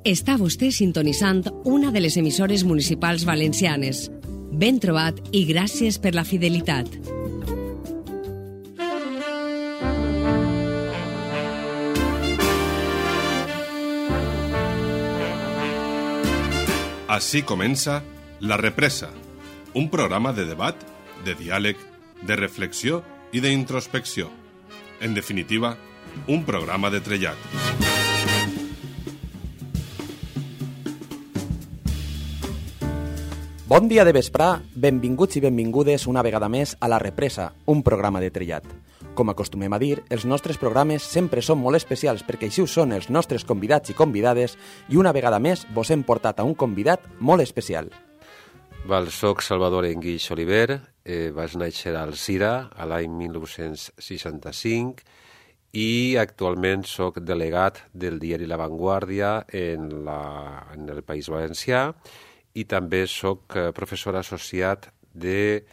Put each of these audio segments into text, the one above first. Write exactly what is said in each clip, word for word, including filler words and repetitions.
Està vostè sintonitzant una de les emissores municipals valencianes. Ben trobat i gràcies per la fidelitat. Així comença La Represa, un programa de debat, de diàleg, de reflexió i d'introspecció. En definitiva, un programa de trellat. Bon dia de vesprà, benvinguts i benvingudes una vegada més a La Represa, un programa de trellat. Com acostumem a dir, els nostres programes sempre són molt especials perquè així ho són els nostres convidats i convidades i una vegada més vos hem portat a un convidat molt especial. Val, soc Salvador Enguix Oliver, eh, vaig néixer al Cira a l'any mil nou-cents seixanta-cinc i actualment soc delegat del diari La Vanguardia en, la, en el País Valencià i també soc professor associat de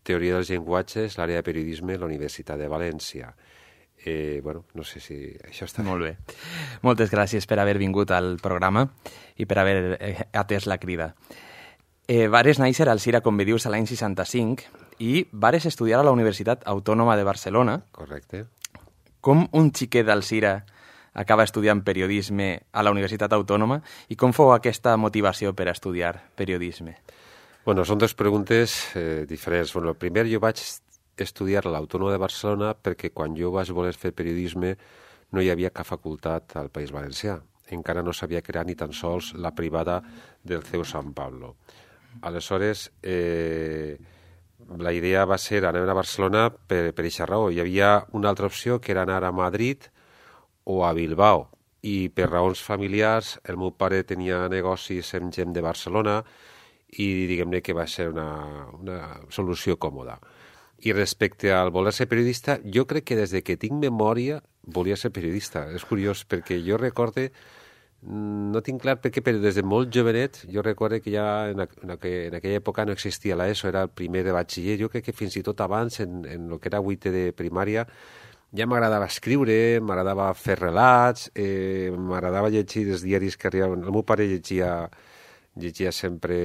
Teoria dels Llenguatges, l'àrea de periodisme a la Universitat de València. Eh, bueno, no sé si això està Molt bé. Moltes gràcies per haver vingut al programa i per haver atès la crida. Eh, vares néixer al Cira, com bé dius, a l'any seixanta-cinc i vares estudiar a la Universitat Autònoma de Barcelona. Correcte. Com un xiquet del Cira acaba estudiant periodisme a la Universitat Autònoma i com fou aquesta motivació per a estudiar periodisme? Bueno, són dues preguntes eh, diferents. Bueno, primer, jo vaig estudiar a l'Autònoma de Barcelona perquè quan jo vaig voler fer periodisme no hi havia cap facultat al País Valencià. Encara no s'havia creat ni tan sols la privada del C E U Sant Pablo. Aleshores, eh, la idea va ser anar a Barcelona per, per aquesta raó. Hi havia una altra opció que era anar a Madrid o a Bilbao, i per raons familiars el meu pare tenia negocis amb gent de Barcelona i diguem-ne que va ser una, una solució còmoda. I respecte al voler ser periodista, jo crec que des de que tinc memòria volia ser periodista. És curiós perquè jo recorde, no tinc clar perquè, però des de molt jovenet, jo recorde que ja en, en, aquella, en aquella època no existia l'ESO, era el primer de batxiller. Jo crec que fins i tot abans, en, en el que era vuitè de primària, ja m'agradava escriure, m'agradava fer relats, eh, m'agradava llegir els diaris que arribaven. El meu pare llegia, llegia sempre,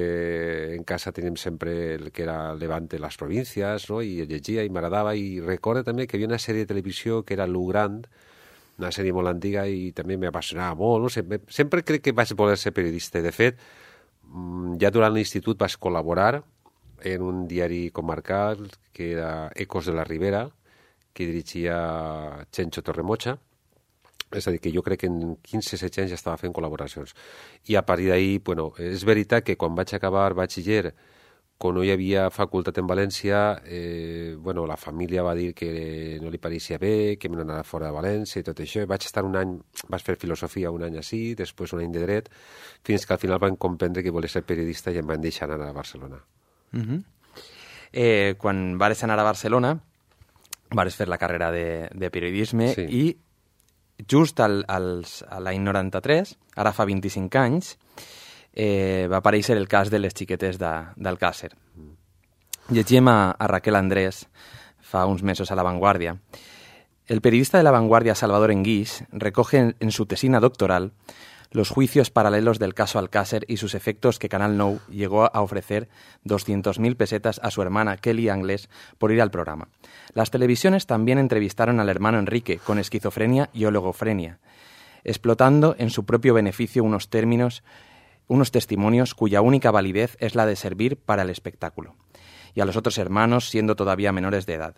en casa teníem sempre el que era Levante, les províncies, no? I llegia i m'agradava. I recordo també que hi havia una sèrie de televisió que era Lu Grand, una sèrie molt antiga i també m'apassionava molt. No sé, sempre crec que vaig voler ser periodista. De fet, ja durant l'institut vaig col·laborar en un diari comarcal que era Ecos de la Ribera, que dirigia Chencho Torremocha. És a dir, que jo crec que en quinze setze anys ja estava fent col·laboracions. I a partir d'ahir, bueno, és veritat que quan vaig acabar batxiller, quan no hi havia facultat en València, eh, bueno, la família va dir que no li pareixia bé, que me n'anava fora de València i tot això. Vaig estar un any, vaig fer filosofia un any així, després un any de dret, fins que al final van comprendre que volia ser periodista i em van deixar anar a Barcelona. Uh-huh. eh, quan vares anar a Barcelona, vares fer la carrera de, de periodisme, sí. I just al, als, a l'any noranta-tres, ara fa vint-i-cinc anys, eh, va aparèixer el cas de les xiquetes d'Alcàsser. Mm. Llegíem a, a Raquel Andrés fa uns mesos a La Vanguardia. El periodista de La Vanguardia, Salvador Enguix, recoge en, en su tesina doctoral los juicios paralelos del caso Alcácer y sus efectos que Canal Nou llegó a ofrecer doscientas mil pesetas a su hermana Kelly Anglés por ir al programa. Las televisiones también entrevistaron al hermano Enrique con esquizofrenia y oligofrenia, explotando en su propio beneficio unos términos, unos testimonios cuya única validez es la de servir para el espectáculo, y a los otros hermanos siendo todavía menores de edad.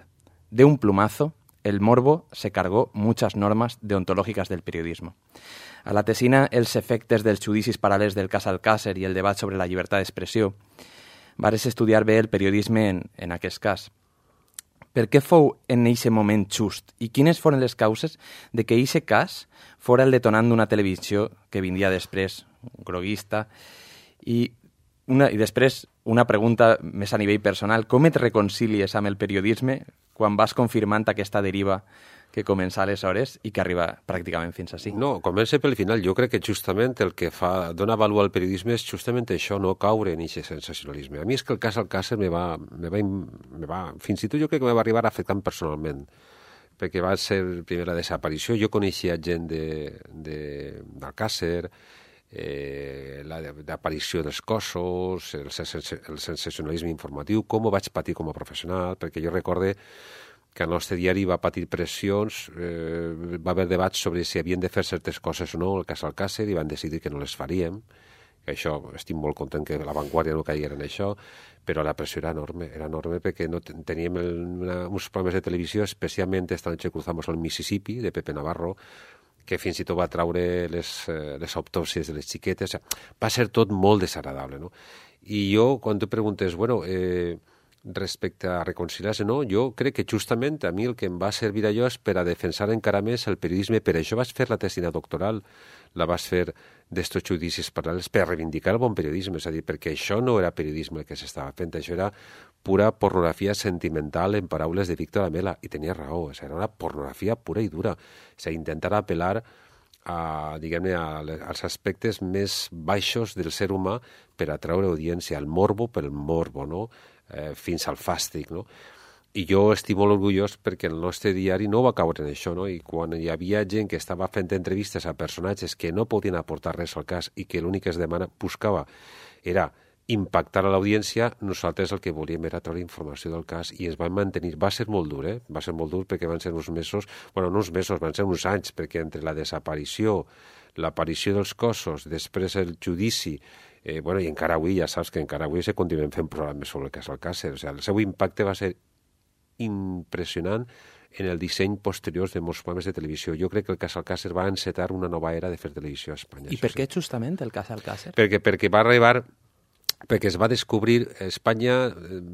De un plumazo, el morbo se cargó muchas normas deontològiques del periodismo. A la tesina Els efectes dels judicis paral·lels del cas Alcàsser i el debat sobre la llibertat d'expressió, vares estudiar bé el periodisme en, en aquest cas. Per què fou en aquest moment just i quines foren les causes de que aquest cas fora el detonant d'una televisió que vindria després, groguista, i, una, i després una pregunta més a nivell personal. Com et reconcilies amb el periodisme quan vas confirmant aquesta deriva que comença aleshores i que arriba pràcticament fins ací? No, comença pel final. Jo crec que justament el que fa, dona valor al periodisme és justament això, no caure en aquest sensacionalisme. A mi és que el cas Alcàsser me va, me va, me va, fins i tot jo crec que me va arribar afectant personalment, perquè va ser primer la desaparició. Jo coneixia gent d'Alcàsser, eh, l'aparició dels cossos, el, el sensacionalisme informatiu, com ho vaig patir com a professional, perquè jo recorde que el nostre diari va patir pressions, eh, va haver debats sobre si havien de fer certes coses o no, el cas Alcácer, i van decidir que no les faríem, que això, estic molt content que la Vanguardia no caiguera en això, però la pressió era enorme, era enorme perquè no teníem el, una, uns programes de televisió, especialment Esta noche cruzamos el Mississippi, de Pepe Navarro, que fins i tot va traure les, eh, les autòpsies de les xiquetes. Va ser tot molt desagradable, no? I jo, quan tu preguntes, bueno, eh, respecte a reconciliar-se, no, jo crec que justament a mi el que em va servir allò és per a defensar encara més el periodisme. Per això vaig fer la tesina doctoral, la vaig fer d'estos judicis paral·lels, per reivindicar el bon periodisme, és a dir, perquè això no era periodisme el que s'estava fent, això era pura pornografia sentimental, en paraules de Víctor Amela, i tenia raó, o sigui, era una pornografia pura i dura, o sigui, intentar apel·lar a, diguem-ne, als aspectes més baixos del ser humà per atraure audiència, al morbo pel morbo, no? Eh, fins al fàstic, no? I jo estic molt orgullós perquè el nostre diari no va caure en això, no? I quan hi havia gent que estava fent entrevistes a personatges que no podien aportar res al cas i que l'únic que es demana, buscava era impactar a l'audiència, nosaltres el que volíem era treure informació del cas i es van mantenir. Va ser molt dur, eh? Va ser molt dur perquè van ser uns mesos, bueno, no uns mesos, van ser uns anys, perquè entre la desaparició, l'aparició dels cossos, després el judici, eh, bueno, i encara avui, ja saps que encara avui se continuen fent programes sobre el cas Alcácer, o sigui, el seu impacte va ser impressionant en el disseny posterior de molts programes de televisió. Jo crec que el cas Alcácer va encetar una nova era de fer televisió a Espanya. I per què justament el cas Alcácer? Perquè, perquè va arribar, perquè es va descobrir, Espanya,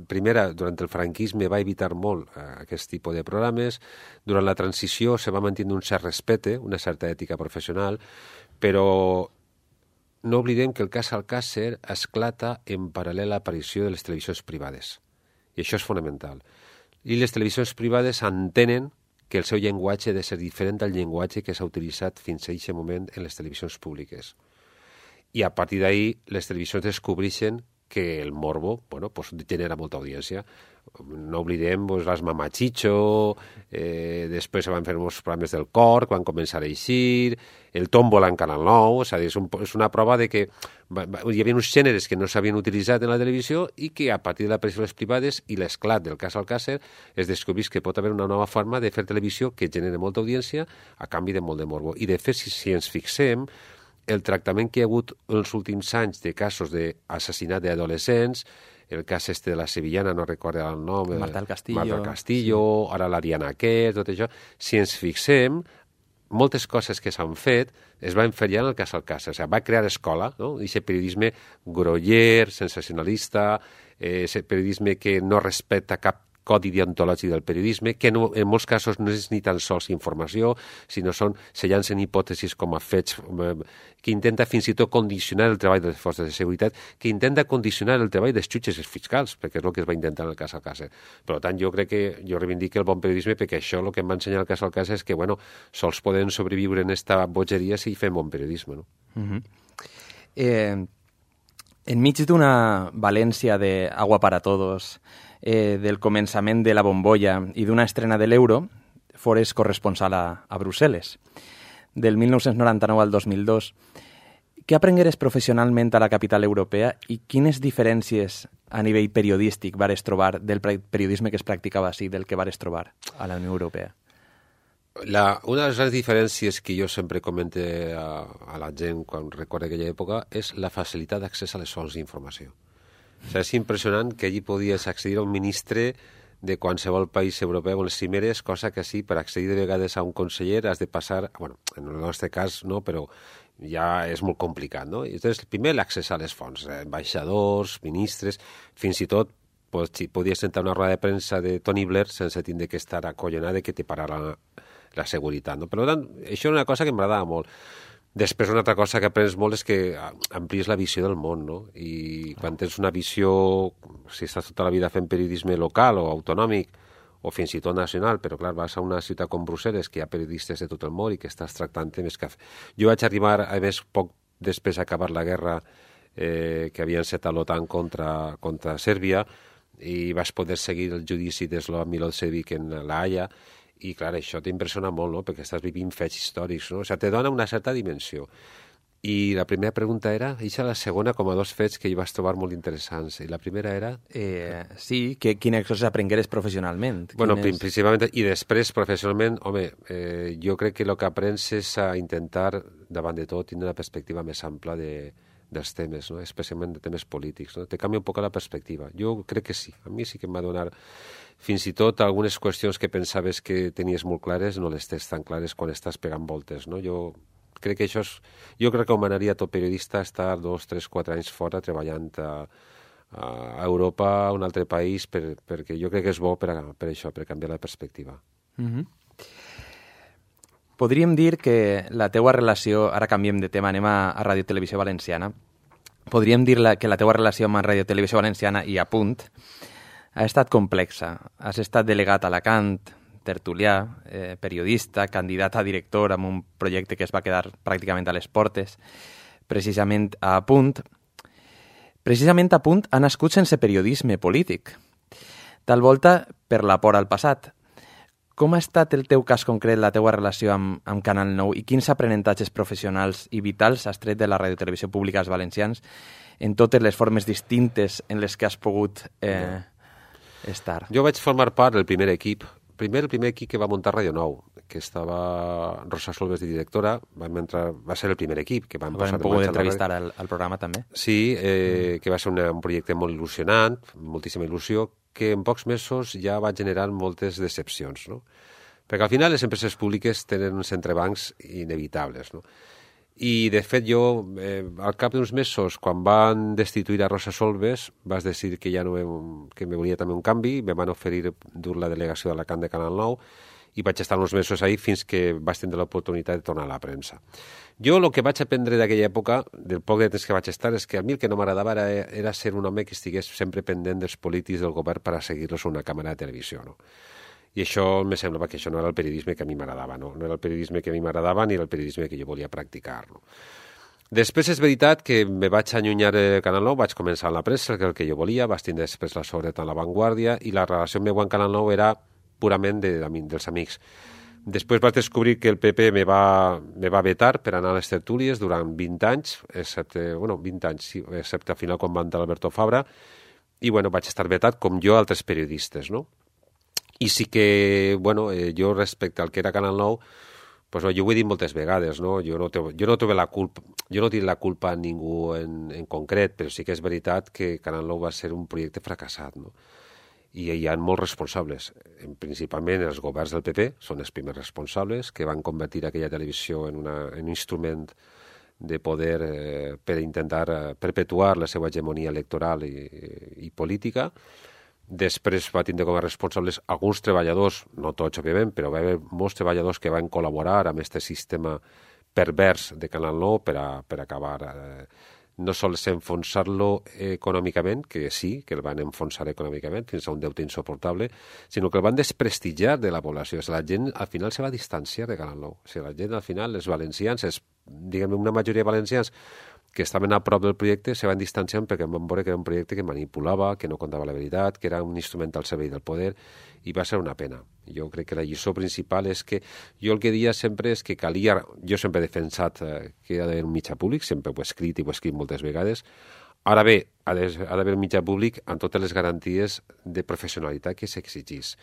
primera, durant el franquisme va evitar molt aquest tipus de programes, durant la transició se va mantenir un cert respecte, una certa ètica professional, però no oblidem que el cas Alcácer esclata en paral·lel a l'aparició de les televisions privades. I això és fonamental. I les televisions privades entenen que el seu llenguatge ha de ser diferent del llenguatge que s'ha utilitzat fins a aquest moment en les televisions públiques. I a partir d'ahir les televisions descobreixen que el morbo, bueno, pues, genera molta audiència. No oblidem pues, les Mamachicho, eh, després se van fer uns programes del cor, quan començar a eixir, el Tómbola en Canal nou, és a dir, és, un, és una prova de que va, va, hi havia uns gèneres que no s'havien utilitzat en la televisió i que a partir de l'aparició de les privades i l'esclat del cas Alcácer es descobreix que pot haver una nova forma de fer televisió que genera molta audiència a canvi de molt de morbo. I de fet, si, si ens fixem, el tractament que hi ha hagut en els últims anys de casos d'assassinat d'adolescents, el cas este de la sevillana, no recordo el nom... Marta del Castillo. Marta del Castillo, sí. Ara la Diana Quer, tot això. Si ens fixem, moltes coses que s'han fet es van fer ja en el cas Alcácer. O sigui, va crear escola, no? Aquest periodisme groller, sensacionalista, eh, aquest periodisme que no respecta cap codi deontològic del periodisme, que no, en molts casos no és ni tan sols informació, sinó són, se llancen hipòtesis com a fets, que intenta fins i tot condicionar el treball de les forces de seguretat, que intenta condicionar el treball dels jutges i fiscals, perquè és el que es va intentar en el cas Alcácer. Per tant, jo crec que jo reivindico el bon periodisme perquè això el que em va ensenyar el cas Alcácer és que, bueno, sols podem sobreviure en esta bogeria si fem bon periodisme, no? Uh-huh. eh, enmig d'una València de agua para todos, Eh, del començament de la bombolla i d'una estrena de l'euro, fores corresponsal a, a Brussel·les. Del mil nou-cents noranta-nou al dos mil dos, què aprengueres professionalment a la capital europea i quines diferències a nivell periodístic vares trobar del periodisme que es practicava així del que vares trobar a la Unió Europea? La, una de les diferències que jo sempre comente a, a la gent quan recorda aquella època és la facilitat d'accés a les fonts d'informació. O sigui, és impressionant que allí podies accedir a un ministre de qualsevol país europeu en les cimeres, cosa que sí, per accedir de vegades a un conseller has de passar, bueno, en el nostre cas no, però ja és molt complicat, no? I llavors, primer l'accés a les fonts, ambaixadors, ministres, fins i tot pues, si podies sentar una roda de premsa de Tony Blair sense tindre que estar acollonat de que te parara la, la seguretat, no? Per tant, això és una cosa que m'agradava molt. Després, una altra cosa que aprens molt és que amplies la visió del món, no? I quan tens una visió, si estàs tota la vida fent periodisme local o autonòmic, o fins i tot nacional, però clar, vas a una ciutat com Brussel·les, que hi ha periodistes de tot el món i que estàs tractant temes que... Jo vaig arribar, a més, poc després d'acabar la guerra eh, que havia encetat l'OTAN contra, contra Sèrbia, i vas poder seguir el judici de Slobodan Milošević en la Haia, i clar, això t'impressiona molt, no? Perquè estàs vivint fets històrics, no? O sigui, te dona una certa dimensió. I la primera pregunta era, eixa la segona, com a dos fets que hi vas trobar molt interessants. I la primera era... Eh, sí, que, quines coses aprengueres professionalment. Bueno, quines... principalment, i després professionalment, home, eh, jo crec que el que aprens és a intentar, davant de tot, tenir una perspectiva més ampla de, dels temes, no? Especialment de temes polítics. No? Te canvia un poc la perspectiva. Jo crec que sí. A mi sí que em va donar... Fins i tot algunes qüestions que pensaves que tenies molt clares no les tens tan clares quan estàs pegant voltes, no? Jo... Crec que això és... Jo crec que recomanaria a tot periodista estar dos, tres, quatre anys fora treballant a, a Europa, a un altre país, per, perquè jo crec que és bo per, a, per això, per canviar la perspectiva. Mm-hmm. Podríem dir que la teua relació... Ara canviem de tema, anem a, a Ràdio Televisió Valenciana. Podríem dir la, que la teua relació amb Ràdio Televisió Valenciana i a Punt ha estat complexa. Has estat delegat a Alacant, tertulià, eh, periodista, candidat a director amb un projecte que es va quedar pràcticament a les portes, precisament a Punt. Precisament a Punt ha nascut sense periodisme polític. Tal volta per la por al passat. Com ha estat el teu cas concret, la teua relació amb, amb Canal nou i quins aprenentatges professionals i vitals has tret de la Ràdio Televisió Pública als valencians en totes les formes distintes en les que has pogut eh, estar? Jo vaig formar part del primer equip Primer, el primer equip que va muntar Ràdio nou, que estava Rosa Solves de directora, vam entrar, va ser el primer equip que vam Vam posar en pogut marxa. entrevistar al, al programa també. Sí, eh, mm. que va ser una, un projecte molt il·lusionant, moltíssima il·lusió, que en pocs mesos ja va generar moltes decepcions, no? Perquè al final les empreses públiques tenen uns entrebancs inevitables, no? I, de fet, jo, eh, al cap d'uns mesos, quan van destituir a Rosa Solves, vas decidir que ja no me, que me volia també un canvi, me van oferir dur la delegació d'Alacant de Canal nou i vaig estar uns mesos ahí fins que vaig tenir l'oportunitat de tornar a la premsa. Jo el que vaig aprendre d'aquella època, del poc de temps que vaig estar, és que a mi el que no m'agradava era, era ser un home que estigués sempre pendent dels polítics del govern per a seguir-los a una càmera de televisió, no? I això me semblava que això no era el periodisme que a mi m'agradava, no? No era el periodisme que a mi m'agradava ni era el periodisme que jo volia practicar, no? Després és veritat que me vaig allunyar de Canal nou, vaig començar en la premsa, que és el que jo volia, vaig tindre després la sobretot en La Vanguardia i la relació meva amb Canal nou era purament de, de, dels amics. Després vaig descobrir que el P P me va, me va vetar per anar a les tertúlies durant vint anys, excepte, bueno, vint anys, sí, excepte al final quan va entrar Alberto Fabra, i bueno, vaig estar vetat com jo altres periodistes, no? I sí que, bueno, eh, jo respecte al que era Canal nou, pues, jo ho he dit moltes vegades, no? Jo no, te, jo no trobo la culpa, jo no tinc la culpa a ningú en, en concret, però sí que és veritat que Canal nou va ser un projecte fracassat, no? I hi ha molts responsables, principalment els governs del P P, són els primers responsables, que van convertir aquella televisió en, una, en un instrument de poder eh, per intentar eh, perpetuar la seva hegemonia electoral i, i política. Després va tindre com a responsables alguns treballadors, no tots, òbviament, però va haver molts treballadors que van col·laborar amb aquest sistema pervers de Canal nou per, a, per acabar eh, no sols enfonsar-lo econòmicament, que sí, que el van enfonsar econòmicament fins a un deute insoportable, sinó que el van desprestigiar de la població. O sigui, la gent al final se va distanciar de Canal nou. O sigui, la gent al final, els valencians, els, diguem una majoria de valencians que estaven a prop del projecte, se van distanciant perquè van veure que era un projecte que manipulava, que no contava la veritat, que era un instrument al servei del poder, i va ser una pena. Jo crec que la lliçó principal és que, jo el que dia sempre és que calia, jo sempre he defensat eh, que ha d'haver un mitjà públic, sempre ho he escrit i ho he escrit moltes vegades. Ara bé, ha d'haver un mitjà públic amb totes les garanties de professionalitat que s'exigís.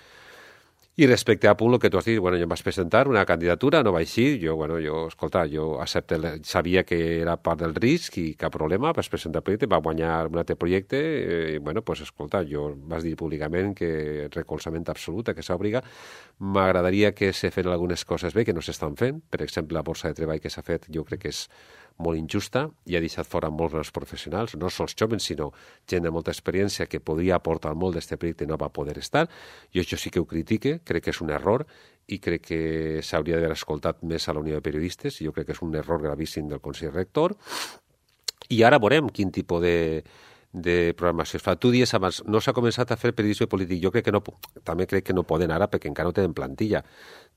I respecte a Punt, el que tu has dit, bueno, jo em vaig presentar una candidatura, no vaig ir, jo, bueno, jo, escolta, jo accepte, sabia que era part del risc i cap problema, vaig presentar el projecte, va guanyar un altre projecte, i, bueno, pues, escolta, jo vas dir públicament que recolzament absolut, que s'obliga, m'agradaria que se feren algunes coses bé que no s'estan fent, per exemple, la borsa de treball que s'ha fet, jo crec que és molt injusta i ha deixat fora molts dels professionals, no sols joves, sinó gent de molta experiència que podria aportar molt d'aquest projecte i no va poder estar. Jo això sí que ho critique, crec que és un error i crec que s'hauria d'haver escoltat més a la Unió de Periodistes, i jo crec que és un error gravíssim del Consell Rector. I ara veurem quin tipus de, de programació es fa. Tu dies abans, no s'ha començat a fer periodisme polític, jo crec que no, també crec que no poden ara perquè encara no tenen plantilla.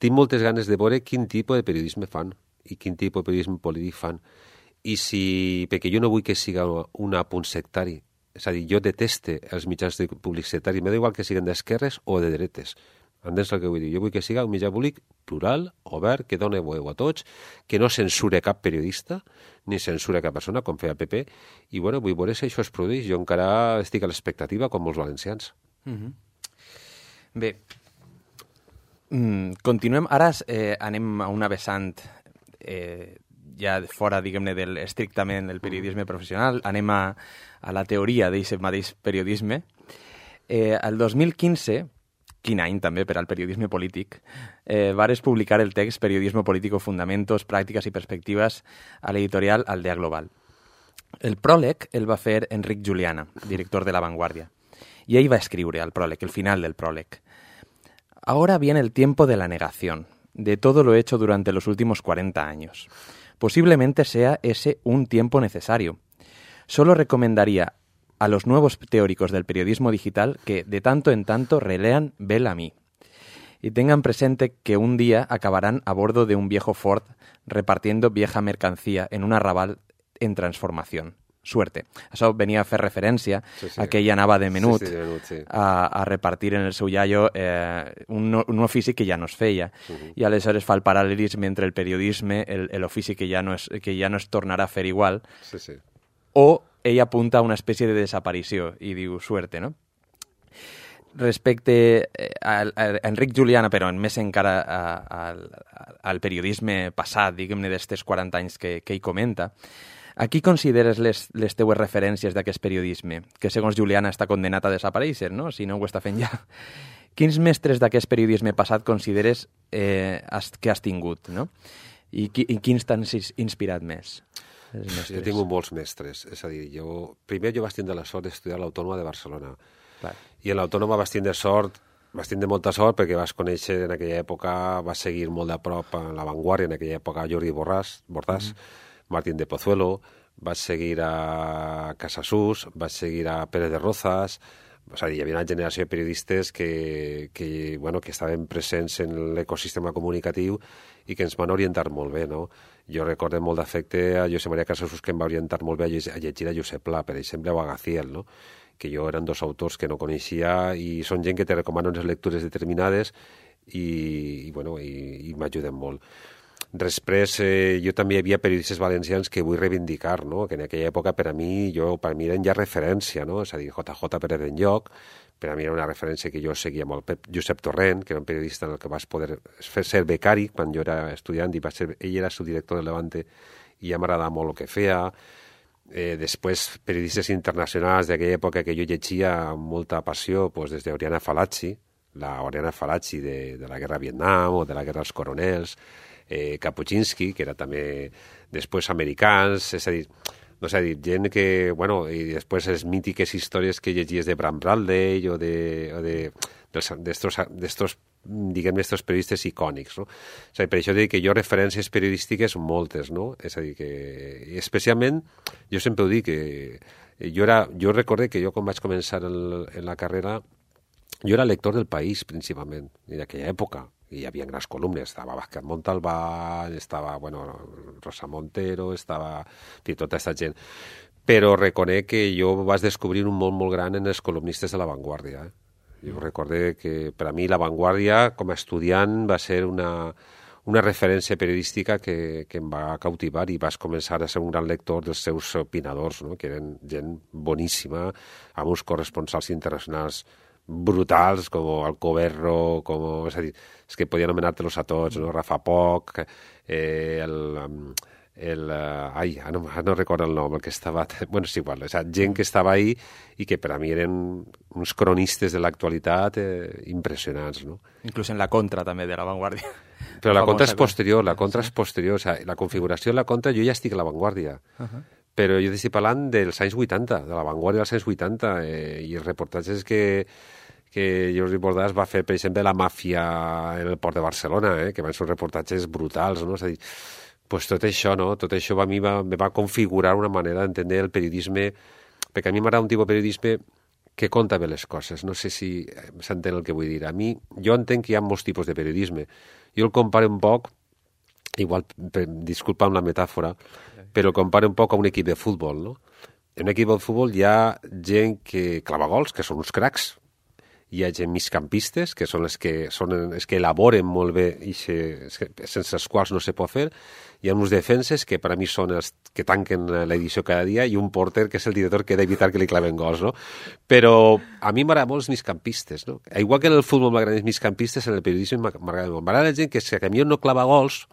Tinc moltes ganes de veure quin tipus de periodisme fan i quin tipus de periodisme polític fan. I si, perquè jo no vull que siga un apunt sectari, és a dir, jo deteste els mitjans públics sectaris, m'ha igual que siguin d'esquerres o de dretes, Entens el que vull dir? Jo vull que siga un mitjà públic plural, obert, que doni veu a tots, que no censure cap periodista, ni censure cap persona, com feia el P P, i bueno, vull veure si això es produeix. Jo encara estic a l'expectativa, com molts valencians. Mm-hmm. Bé, mm, continuem. Ara eh, anem a una vessant eh, ja fora, diguem-ne, del estrictament el periodisme professional. Anem a, a la teoria d'aquest mateix periodisme. Eh, el dos mil quinze, quin any també per al periodisme polític, eh, vares publicar el text Periodismo político, fundamentos, pràctiques i perspectives a l'editorial Aldea Global. El pròleg el va fer Enric Juliana, director de La Vanguardia, y ell va escriure al pròleg, el final del pròleg. Ahora viene el tiempo de la negación, de todo lo hecho durante los últimos cuarenta años. Posiblemente sea ese un tiempo necesario. Solo recomendaría a los nuevos teóricos del periodismo digital que de tanto en tanto relean Bel-Ami y tengan presente que un día acabarán a bordo de un viejo Ford repartiendo vieja mercancía en un arrabal en transformación. Suerte. Això venia a fer referència sí, sí. a que ell anava de menut, sí, sí, de menut sí. a, a repartir en el seu iaio eh, un, un ofici que ja no es feia. Uh-huh. I aleshores fa el paral·lelisme entre el periodisme, l'ofici que, ja no es, que ja no es tornarà a fer igual, sí, sí. o ell apunta a una espècie de desaparició i diu suerte, no? Respecte a, a Enric Juliana, però més encara a, a, al periodisme passat, diguem-ne, d'estes quaranta anys que, que ell comenta, a qui consideres les, les teues referències d'aquest periodisme, que segons Juliana està condenat a desaparèixer, no? Si no ho està fent ja. Quins mestres d'aquest periodisme passat consideres eh, has, que has tingut, no? I, qui, i quins t'han inspirat més? Jo he tingut molts mestres. És a dir, jo, primer jo vaig tindre la sort d'estudiar a l'Autònoma de Barcelona. Clar. I en l'Autònoma vaig tindre sort, vaig tindre molta sort perquè vas conèixer en aquella època, vas seguir molt de prop en La Vanguardia, en aquella època Jordi Borràs, Bordàs, mm-hmm. Martín de Pozuelo, vaig seguir a Casasus, vaig seguir a Pérez de Rozas, és a dir, hi havia una generació de periodistes que, que, bueno, que estaven presents en l'ecosistema comunicatiu i que ens van orientar molt bé, no? Jo recordo molt d'afecte a Josep Maria Casasus, que em va orientar molt bé a llegir a Josep Pla, per exemple, o a Gaziel, no? Que jo eren dos autors que no coneixia i són gent que te recomanen unes lectures determinades i, i, bueno, i, i m'ajuden molt. Després, eh, jo també hi havia periodistes valencians que vull reivindicar, no? Que en aquella època per a mi, jo, per a mi eren ja referència, no? És a dir, J J Pérez d'Enlloc, per a mi era una referència que jo seguia amb el Pep Josep Torrent, que era un periodista en el que vas poder fer ser becari quan jo era estudiant, i va ser, ell era subdirector del Levante, i ja m'agradava molt el que feia. Eh, després, periodistes internacionals d'aquella època que jo llegia amb molta passió, pues, des d'Oriana Falacci, la Oriana Falacci de, de la guerra a Vietnam o de la guerra als coronels, eh, Kapuscinski, que era també després americans, és a dir, no sé, a dir, gent que, bueno, i després les mítiques històries que llegies de Bram Bradley o de, o de d'estos, d'estos, diguem-ne, estos periodistes icònics, no? O sigui, per això dic que jo referències periodístiques moltes, no? És a dir, que especialment, jo sempre ho dic, que jo, era, jo recordé que jo quan vaig començar en, en la carrera, jo era lector del País, principalment, i d'aquella època. I hi havia grans columnes, estava Vázquez Montalbán, estava, bueno, Rosa Montero, estava, i tota aquesta gent. Però reconec que jo vaig descobrir un món molt gran en els columnistes de La Vanguardia. Eh? Jo recordé que per a mi La Vanguardia, com a estudiant, va ser una, una referència periodística que, que em va cautivar i vas començar a ser un gran lector dels seus opinadors, no? Que eren gent boníssima, amb uns corresponsals internacionals brutals, com Alcoberro, com, és a dir, és que podia anomenar-te-los a tots, no? Rafa Poch, eh, el, el, ai, no, no recordo el nom, el que estava, bueno, és igual, és a dir, gent que estava ahí i que per a mi eren uns cronistes de l'actualitat eh, impressionants, no? Inclús en la contra també de La Vanguardia. Però la, la contra és posterior, la contra és posterior, o sigui, la configuració de la contra, jo ja estic a La Vanguardia. Uh -huh. Però jo estic parlant dels anys vuitanta, de La Vanguardia dels anys vuitanta, eh, i els reportatges que, que Jordi Bordàs va fer, per exemple, la màfia en el port de Barcelona, eh, que van ser reportatges brutals, no? És a dir, pues tot això, no? Tot això a mi va, me va configurar una manera d'entendre el periodisme, perquè a mi m'agrada un tipus de periodisme que conta bé les coses. No sé si s'entén el que vull dir. A mi, jo entenc que hi ha molts tipus de periodisme. Jo el comparo un poc, igual, per, disculpa amb la metàfora, però el comparo un poc a un equip de futbol, no? En un equip de futbol hi ha gent que clava gols, que són uns cracs, hi ha gent migcampistes, que són els que, són els que elaboren molt bé i se, sense els quals no se pot fer. Hi ha uns defenses que per a mi són els que tanquen l'edició cada dia i un porter que és el director que ha d'evitar que li claven gols, no? Però a mi m'agrada molt els migcampistes, no? Igual que en el futbol m'agraden els migcampistes, en el periodisme m'agrada molt. M'agrada la gent que, si a mi no clava gols,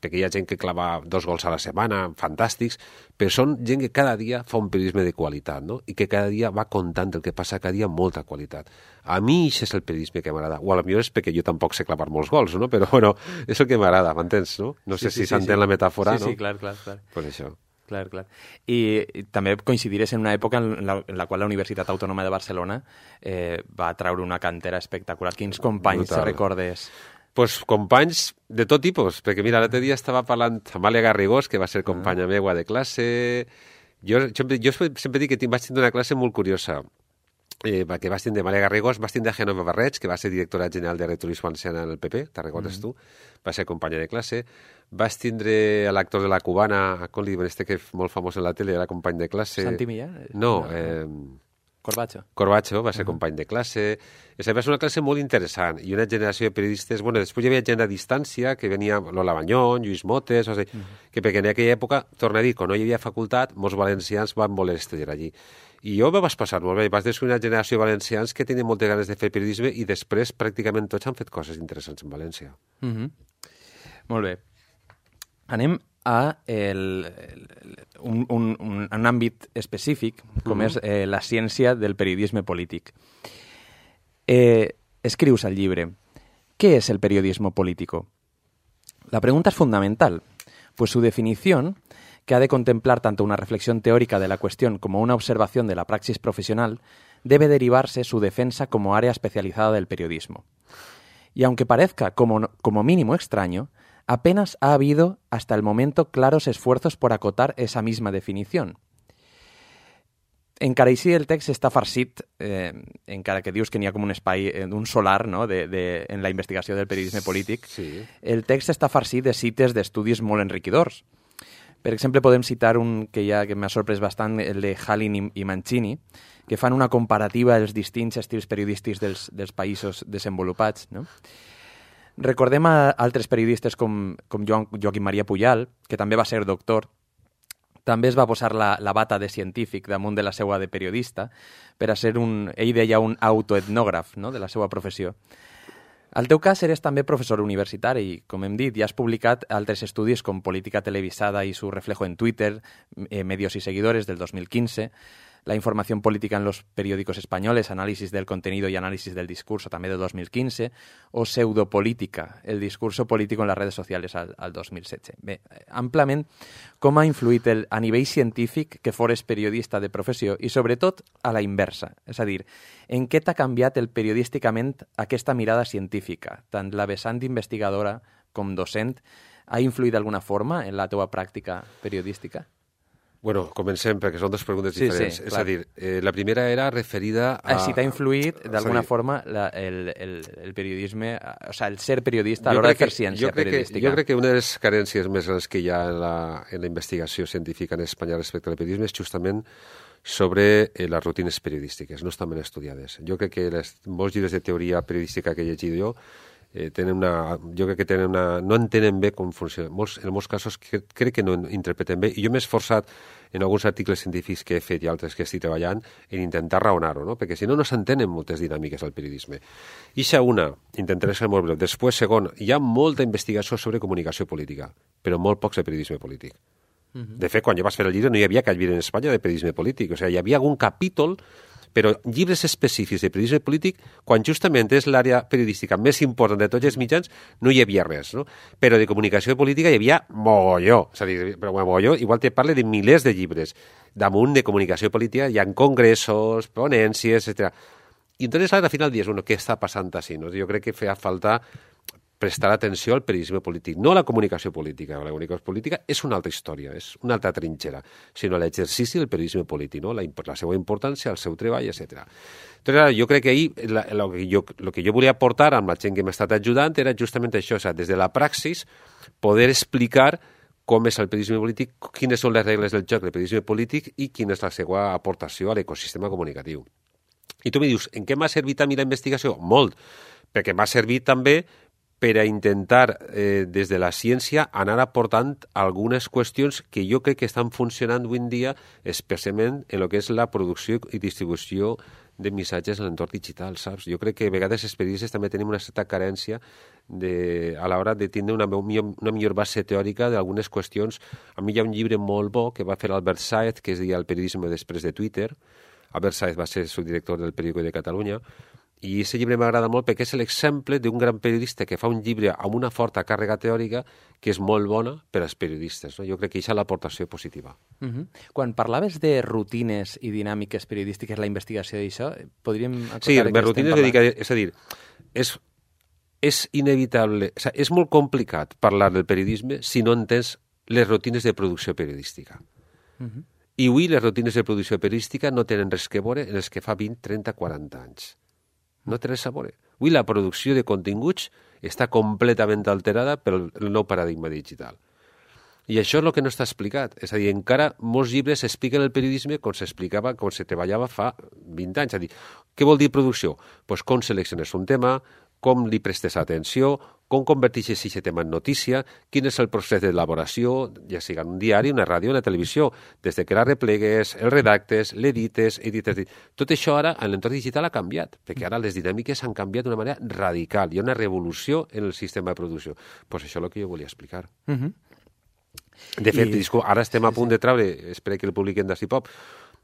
perquè hi ha gent que clava dos gols a la setmana, fantàstics, però són gent que cada dia fa un periodisme de qualitat, no? I que cada dia va contant el que passa cada dia amb molta qualitat. A mi això és el periodisme que m'agrada. O potser és perquè jo tampoc sé clavar molts gols, no? Però, bueno, és el que m'agrada, m'entens, no? No sé sí, sí, si s'entén sí, sí. la metàfora, sí, no? Sí, clar, clar, clar. Pues això. Clar, clar. I, i també coincidirés en una època en la, en la qual la Universitat Autònoma de Barcelona eh, va traure una cantera espectacular. Quins companys te recordes? Pues companys de tot tipus, perquè mira, l'altre dia estava parlant amb Amàlia Garrigós, que va ser companya uh-huh. meua de classe. Jo, jo, jo sempre dic que vaig tindre una classe molt curiosa, eh, que vaig tindre Amàlia Garrigós, vaig tindre Genova Barreig, que va ser directora general de Returisme Valenciana en el P P, te'n recordes uh-huh. tu? Va ser companya de classe. Vaig tindre l'actor de la Cubana, com li diuen, este que és molt famós en la tele, era company de classe. Santi Millán? No, eh... Corbacho. Corbacho va ser uh-huh. company de classe. És va ser una classe molt interessant i una generació de periodistes... Bueno, després hi havia gent a distància, que venia Lola Banyón, Lluís Motes, o sigui, uh-huh. que perquè en aquella època, torna a dir, quan no hi havia facultat, molts valencians van voler estudiar allí. I jo me vas passar molt bé, vas descobrir una generació de valencians que tenien moltes ganes de fer periodisme i després pràcticament tots han fet coses interessants en València. Uh-huh. Molt bé. Anem a el, el, un, un, un, un àmbit específic, com mm. és eh, la ciència del periodisme polític. Eh, escrius al llibre, ¿qué es el periodismo político? La pregunta es fundamental, pues su definición, que ha de contemplar tanto una reflexión teórica de la cuestión como una observación de la praxis profesional, debe derivarse su defensa como área especializada del periodismo. Y aunque parezca como, como mínimo extraño, apenas ha habido hasta el momento claros esfuerzos por acotar esa misma definición. Encara així el text està farcit, eh, encara que dius que n'hi ha com un espai, eh, un solar, no?, de, de, en la investigació del periodisme polític, sí. El text està farcit de cites d'estudis molt enriquidors. Per exemple, podem citar un que ja que m'ha sorprès bastant, el de Halin i, i Mancini, que fan una comparativa dels distints estils periodístics dels, dels països desenvolupats, no? Recordem a altres periodistes com, com Joan, Joaquim Maria Pujal, que també va ser doctor. També es va posar la, la bata de científic damunt de la seva de periodista per a ser un, ell deia, un autoetnògraf, no?, de la seva professió. Al teu cas eres també professor universitari i, com hem dit, ja has publicat altres estudis com Política televisada i su reflejo en Twitter, eh, Medios y seguidores del dos mil quince, La información política en los periódicos españoles, análisis del contenido y análisis del discurso, també del dos mil quinze, o Pseudopolítica, el discurso político en les redes socials al, al dos mil setze. Bé, amplament, com ha influït el, a nivell científic que fores periodista de professió i, sobretot, a la inversa? És a dir, en què t'ha canviat el periodísticament aquesta mirada científica? Tant la vessant investigadora com docent ha influït d'alguna forma en la teva pràctica periodística? Bueno, comencem, perquè són dues preguntes sí, diferents. Sí, és a dir, eh, la primera era referida a... Si t'ha influït, d'alguna dir, forma, la, el, el, el periodisme, o sea, el ser periodista a l'hora de fer ciència jo periodística. Que, jo crec que una de les carències més grans que hi ha en la, en la investigació científica en Espanya respecte al periodisme és justament sobre eh, les rutines periodístiques, no estan ben estudiades. Jo crec que les, molts llibres de teoria periodística que he llegit jo Eh, tenen una, jo crec que tenen una, no entenen bé com funciona. Molts, en molts casos que, crec que no interpreten bé. I jo m'he esforçat en alguns articles científics que he fet i altres que estic treballant en intentar raonar-ho, no? Perquè si no, no s'entenen moltes dinàmiques del periodisme. I això una, intentaré ser molt breu. Després, segon, hi ha molta investigació sobre comunicació política, però molt pocs de periodisme polític. Uh-huh. De fet, quan jo vaig fer el llibre no hi havia cap llibre en Espanya de periodisme polític. O sigui, hi havia algun capítol, però llibres específics de periodisme polític, quan justament és l'àrea periodística més important de tots els mitjans, no hi havia res, no? Però de comunicació política hi havia mogolló. És a dir, però mogolló, igual te parle de milers de llibres. Damunt de comunicació política hi ha congressos, ponències, etcètera. I entonces, al final dius, bueno, què està passant així? No? Jo crec que feia falta prestar atenció al periodisme polític, no a la comunicació política. La comunicació política és una altra història, és una altra trinxera, sinó l'exercici del periodisme polític, no? la, la seva importància, el seu treball, etcètera. Entonces, jo crec que ahir el que, jo, lo que jo volia aportar amb la gent que m'ha estat ajudant era justament això, o sigui, des de la praxis, poder explicar com és el periodisme polític, quines són les regles del joc del periodisme polític i quina és la seva aportació a l'ecosistema comunicatiu. I tu em dius, en què m'ha servit a mi la investigació? Molt, perquè m'ha servit també per a intentar, eh, des de la ciència, anar aportant algunes qüestions que jo crec que estan funcionant avui en dia, especialment en el que és la producció i distribució de missatges en l'entorn digital, saps? Jo crec que a vegades els periodistes també tenim una certa carència de, a l'hora de tindre una, una millor base teòrica d'algunes qüestions. A mi hi ha un llibre molt bo que va fer Albert Sáez, que es deia El periodisme després de Twitter. Albert Sáez va ser subdirector del Periódico de Catalunya, i aquest llibre m'agrada molt perquè és l'exemple d'un gran periodista que fa un llibre amb una forta càrrega teòrica que és molt bona per als periodistes. No? Jo crec que això és l'aportació positiva. Uh-huh. Quan parlaves de rutines i dinàmiques periodístiques, la investigació d'això, podríem... Sí, les rutines dedicades... És a dir, és, és inevitable... O sigui, és molt complicat parlar del periodisme si no entens les rutines de producció periodística. Uh-huh. I avui les rutines de producció periodística no tenen res que veure en els que fa vint, trenta, quaranta anys. No té res a veure. Avui la producció de continguts està completament alterada pel nou paradigma digital. I això és el que no està explicat. És a dir, encara molts llibres expliquen el periodisme com s'explicava, com se treballava fa vint anys. És a dir, què vol dir producció? Pues com selecciones un tema, com li prestes atenció, com converteixes aquest tema en notícia, quin és el procés d'elaboració, ja sigui en un diari, una ràdio, una televisió, des de que la replegues, el redactes, l'edites, edites... Tot això ara, en l'entorn digital, ha canviat, perquè ara les dinàmiques han canviat d'una manera radical. Hi ha una revolució en el sistema de producció. Doncs pues això és el que jo volia explicar. Uh-huh. De fet, I... disculpa, ara estem a punt de treure, espero que el publiquem d'Ací Pop,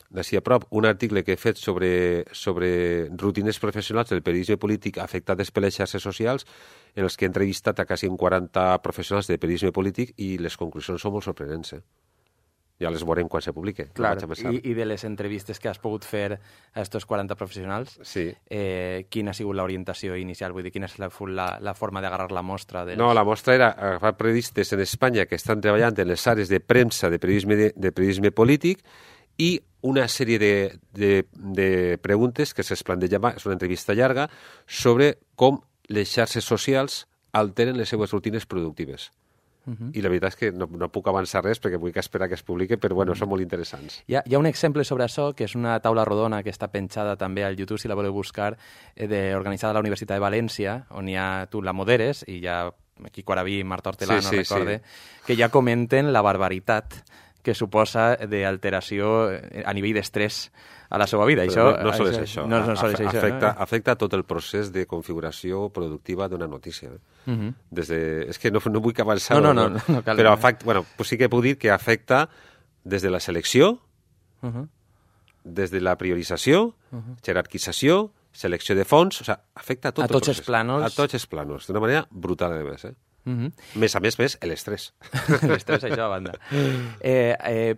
d'ací a prop, un article que he fet sobre, sobre rutines professionals del periodisme polític afectades per les xarxes socials, en els que he entrevistat a quasi quaranta professionals de periodisme polític i les conclusions són molt sorprenents. Eh? Ja les veurem quan se publique. Clar, no I, i de les entrevistes que has pogut fer a estos quaranta professionals, sí. eh, quina ha sigut l'orientació inicial? Vull dir, quina és la, la, la forma d'agarrar la mostra? Dels... No, la mostra era agafar periodistes en Espanya que estan treballant en les àrees de premsa de periodisme, de, de periodisme polític i una sèrie de, de, de preguntes que se'ls plantejava, és una entrevista llarga, sobre com les xarxes socials alteren les seues rutines productives. Uh-huh. I la veritat és que no, no puc avançar res perquè vull que esperar que es publiqui, però bueno, uh-huh. són molt interessants. Hi ha, hi ha un exemple sobre això, que és una taula rodona que està penjada també al YouTube, si la voleu buscar, eh, de, organitzada a la Universitat de València, on hi ha, tu la moderes, i hi ha Quico Araví i Marta Hortelà, sí, no sí, recorde, sí. que ja comenten la barbaritat que suposa d'alteració a nivell d'estrès a la seva vida. Això, no, no sols és això. No, no sols això afecta, no? afecta tot el procés de configuració productiva d'una notícia. Eh? Uh-huh. Des de, és que no, no vull que avançar, no, no, no, no, no cal, però afecta, bueno, pues sí que puc dir que afecta des de la selecció, uh-huh. des de la priorització, uh-huh. jerarquització, selecció de fons, o sigui, afecta a tot a el tots procés. Els plànols. A tots els plànols, d'una manera brutal, a més, eh? Uh-huh. Més a més, més, l'estrès. L'estrès, això a banda. Eh, eh,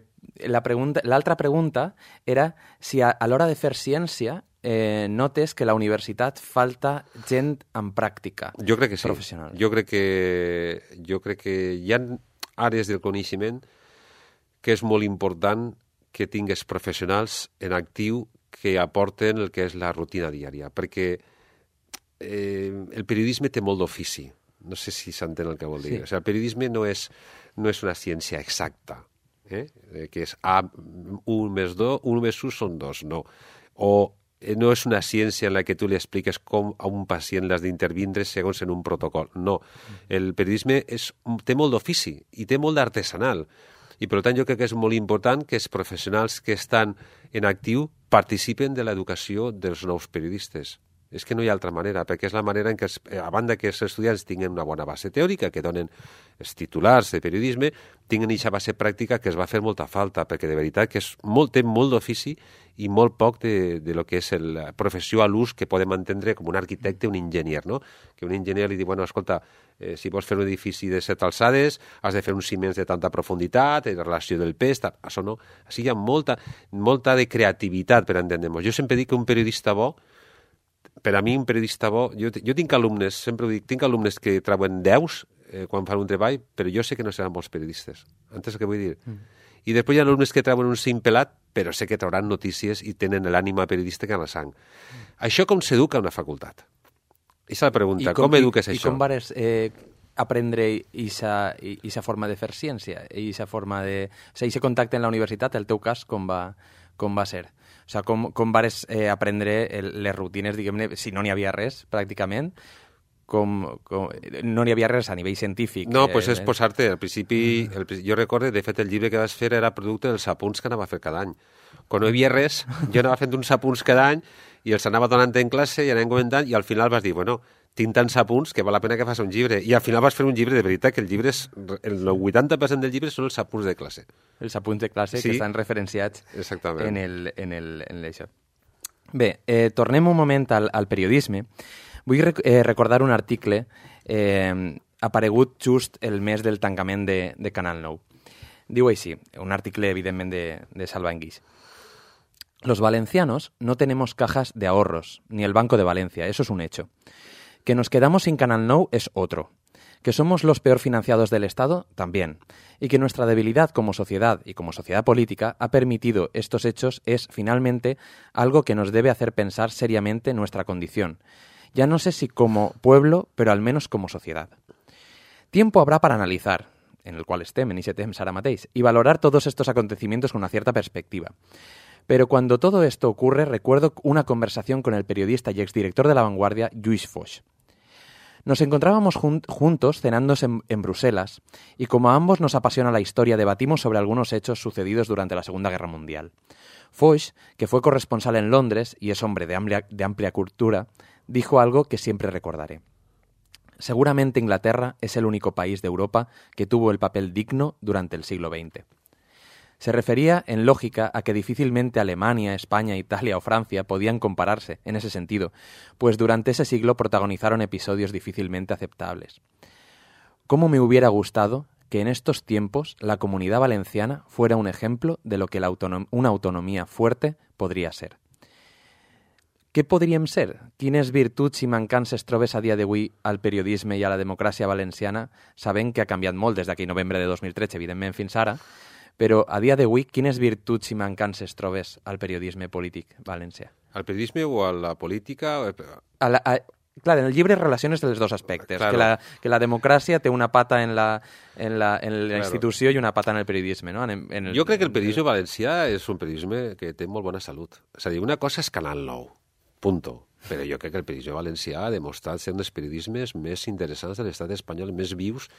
la pregunta, l'altra pregunta era si a, a l'hora de fer ciència eh, notes que a la universitat falta gent amb pràctica jo crec que sí. professional. Jo crec que, jo crec que hi ha àrees del coneixement que és molt important que tingues professionals en actiu que aporten el que és la rutina diària, perquè eh, el periodisme té molt d'ofici. No sé si s'entén el que vol dir. Sí. O sigui, el periodisme no és, no és una ciència exacta, eh? que és A, un més dos, un més un són dos, no. O no és una ciència en la que tu li expliques com a un pacient l'has d'intervindre segons en un protocol. No. El periodisme és, té molt d'ofici i té molt d'artesanal. I, per tant, jo crec que és molt important que els professionals que estan en actiu participen de l'educació dels nous periodistes. És que no hi ha altra manera, perquè és la manera en què, els, a banda que els estudiants tinguin una bona base teòrica, que donen els titulars de periodisme, tinguin aquesta base pràctica que es va fer molta falta, perquè de veritat que és molt, té molt d'ofici i molt poc de, de lo que és la professió a l'ús que podem entendre com un arquitecte, un enginyer, no? Que un enginyer li diu, bueno, escolta, eh, si vols fer un edifici de set alçades, has de fer uns ciments de tanta profunditat, la relació del pes, tal. Això no. Així hi ha molta, molta de creativitat per entendre-nos. Jo sempre dic que un periodista bo, per a mi un periodista bo, jo, jo tinc alumnes, sempre ho dic, tinc alumnes que treuen deus eh, quan fan un treball, però jo sé que no seran bons periodistes. Entens el que vull dir? Mm. I després hi ha alumnes que treuen un cinc pelat, però sé que trauran notícies i tenen l'ànima periodística en la sang. Mm. Això com s'educa a una facultat? Aquesta és la pregunta. Com, com eduques i, això? I com vas eh, aprendre aquesta forma de fer ciència? Aquesta forma de... O sigui, aquest contacte en la universitat, el teu cas, com va, com va ser? O sigui, com, com vares eh, aprendre el, les rutines, diguem-ne, si no n'hi havia res, pràcticament, com, com no n'hi havia res a nivell científic. No, doncs pues és posar-te, al principi, el, jo recordo, de fet, el llibre que vas fer era producte dels apunts que anava a fer cada any. Quan no hi havia res, jo anava fent uns apunts cada any i els anava donant en classe i anàvem comentant i al final vas dir, bueno, tinc tants apunts que val la pena que fas un llibre. I al final vas fer un llibre de veritat, que el llibre és, el vuitanta per cent del llibre són els apunts de classe. Els apunts de classe sí, que estan referenciats exactament. en, el, en, el, en això. Bé, eh, tornem un moment al, al periodisme. Vull rec eh, recordar un article eh, aparegut just el mes del tancament de, de Canal nou. Diu així, un article evidentment de, de Salva Enguix. Los valencianos no tenemos cajas de ahorros, ni el Banco de Valencia, eso es un hecho. Que nos quedamos sin Canal nou es otro. Que somos los peor financiados del Estado, también. Y que nuestra debilidad como sociedad y como sociedad política ha permitido estos hechos es, finalmente, algo que nos debe hacer pensar seriamente nuestra condición. Ya no sé si como pueblo, pero al menos como sociedad. Tiempo habrá para analizar, en el cual estem, en ese temps ara mateix, y valorar todos estos acontecimientos con una cierta perspectiva. Pero cuando todo esto ocurre, recuerdo una conversación con el periodista y exdirector de La Vanguardia, Lluís Foix. Nos encontrábamos jun juntos cenando en, en Bruselas y como a ambos nos apasiona la historia, debatimos sobre algunos hechos sucedidos durante la Segunda Guerra Mundial. Foix, que fue corresponsal en Londres y es hombre de amplia, de amplia cultura, dijo algo que siempre recordaré. Seguramente Inglaterra es el único país de Europa que tuvo el papel digno durante el siglo veinte. Se refería, en lógica, a que difícilmente Alemania, España, Italia o Francia podían compararse en ese sentido, pues durante ese siglo protagonizaron episodios difícilmente aceptables. ¿Cómo me hubiera gustado que en estos tiempos la Comunidad Valenciana fuera un ejemplo de lo que la autonom- una autonomía fuerte podria ser? Què podríem ser? Quines virtuts i mancances trobes a dia d'avui al periodisme i a la democràcia valenciana, sabent que ha canviat molt des d'aquell novembre de dos mil tretze, evidentment, fins ara, però a dia d'avui, quines virtuts i mancances trobes al periodisme polític valencià? Al periodisme o a la política? A la, a, clar, en el llibre relaciones els dos aspectes, claro. que, la, que la democràcia té una pata en la, en la, en la claro. institució i una pata en el periodisme. No? En, en el, jo crec que el periodisme valencià és un periodisme que té molt bona salut. És a dir, una cosa és Canal nou, punto. Però jo crec que el periodisme valencià ha demostrat ser un dels periodismes més interessants de l'estat espanyol, més vius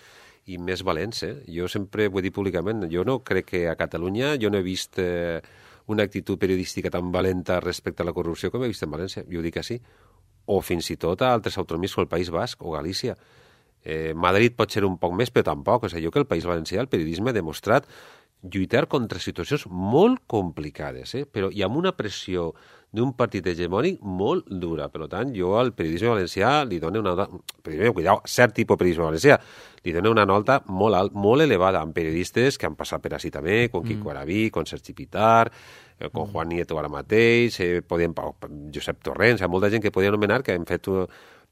i més valents. Eh? Jo sempre ho he dit públicament, jo no crec que a Catalunya jo no he vist eh, una actitud periodística tan valenta respecte a la corrupció com he vist en València, jo ho dic així. O fins i tot a altres autonomies com el País Basc o Galícia. Eh, Madrid pot ser un poc més, però tampoc. O sigui, jo que el País Valencià, el periodisme ha demostrat lluitar contra situacions molt complicades, eh? Però i amb una pressió d'un partit hegemònic molt dura. Per tant, jo al periodisme valencià li dono una... Periodisme, cuidao, cert tipus de periodisme valencià, li dono una nota molt, alt, molt elevada amb periodistes que han passat per així també, com Quico mm. Arabí, com Sergi Pitar, eh, com Juan Nieto ara mateix, eh, podien, Josep Torrents, hi ha molta gent que podien anomenar que han fet...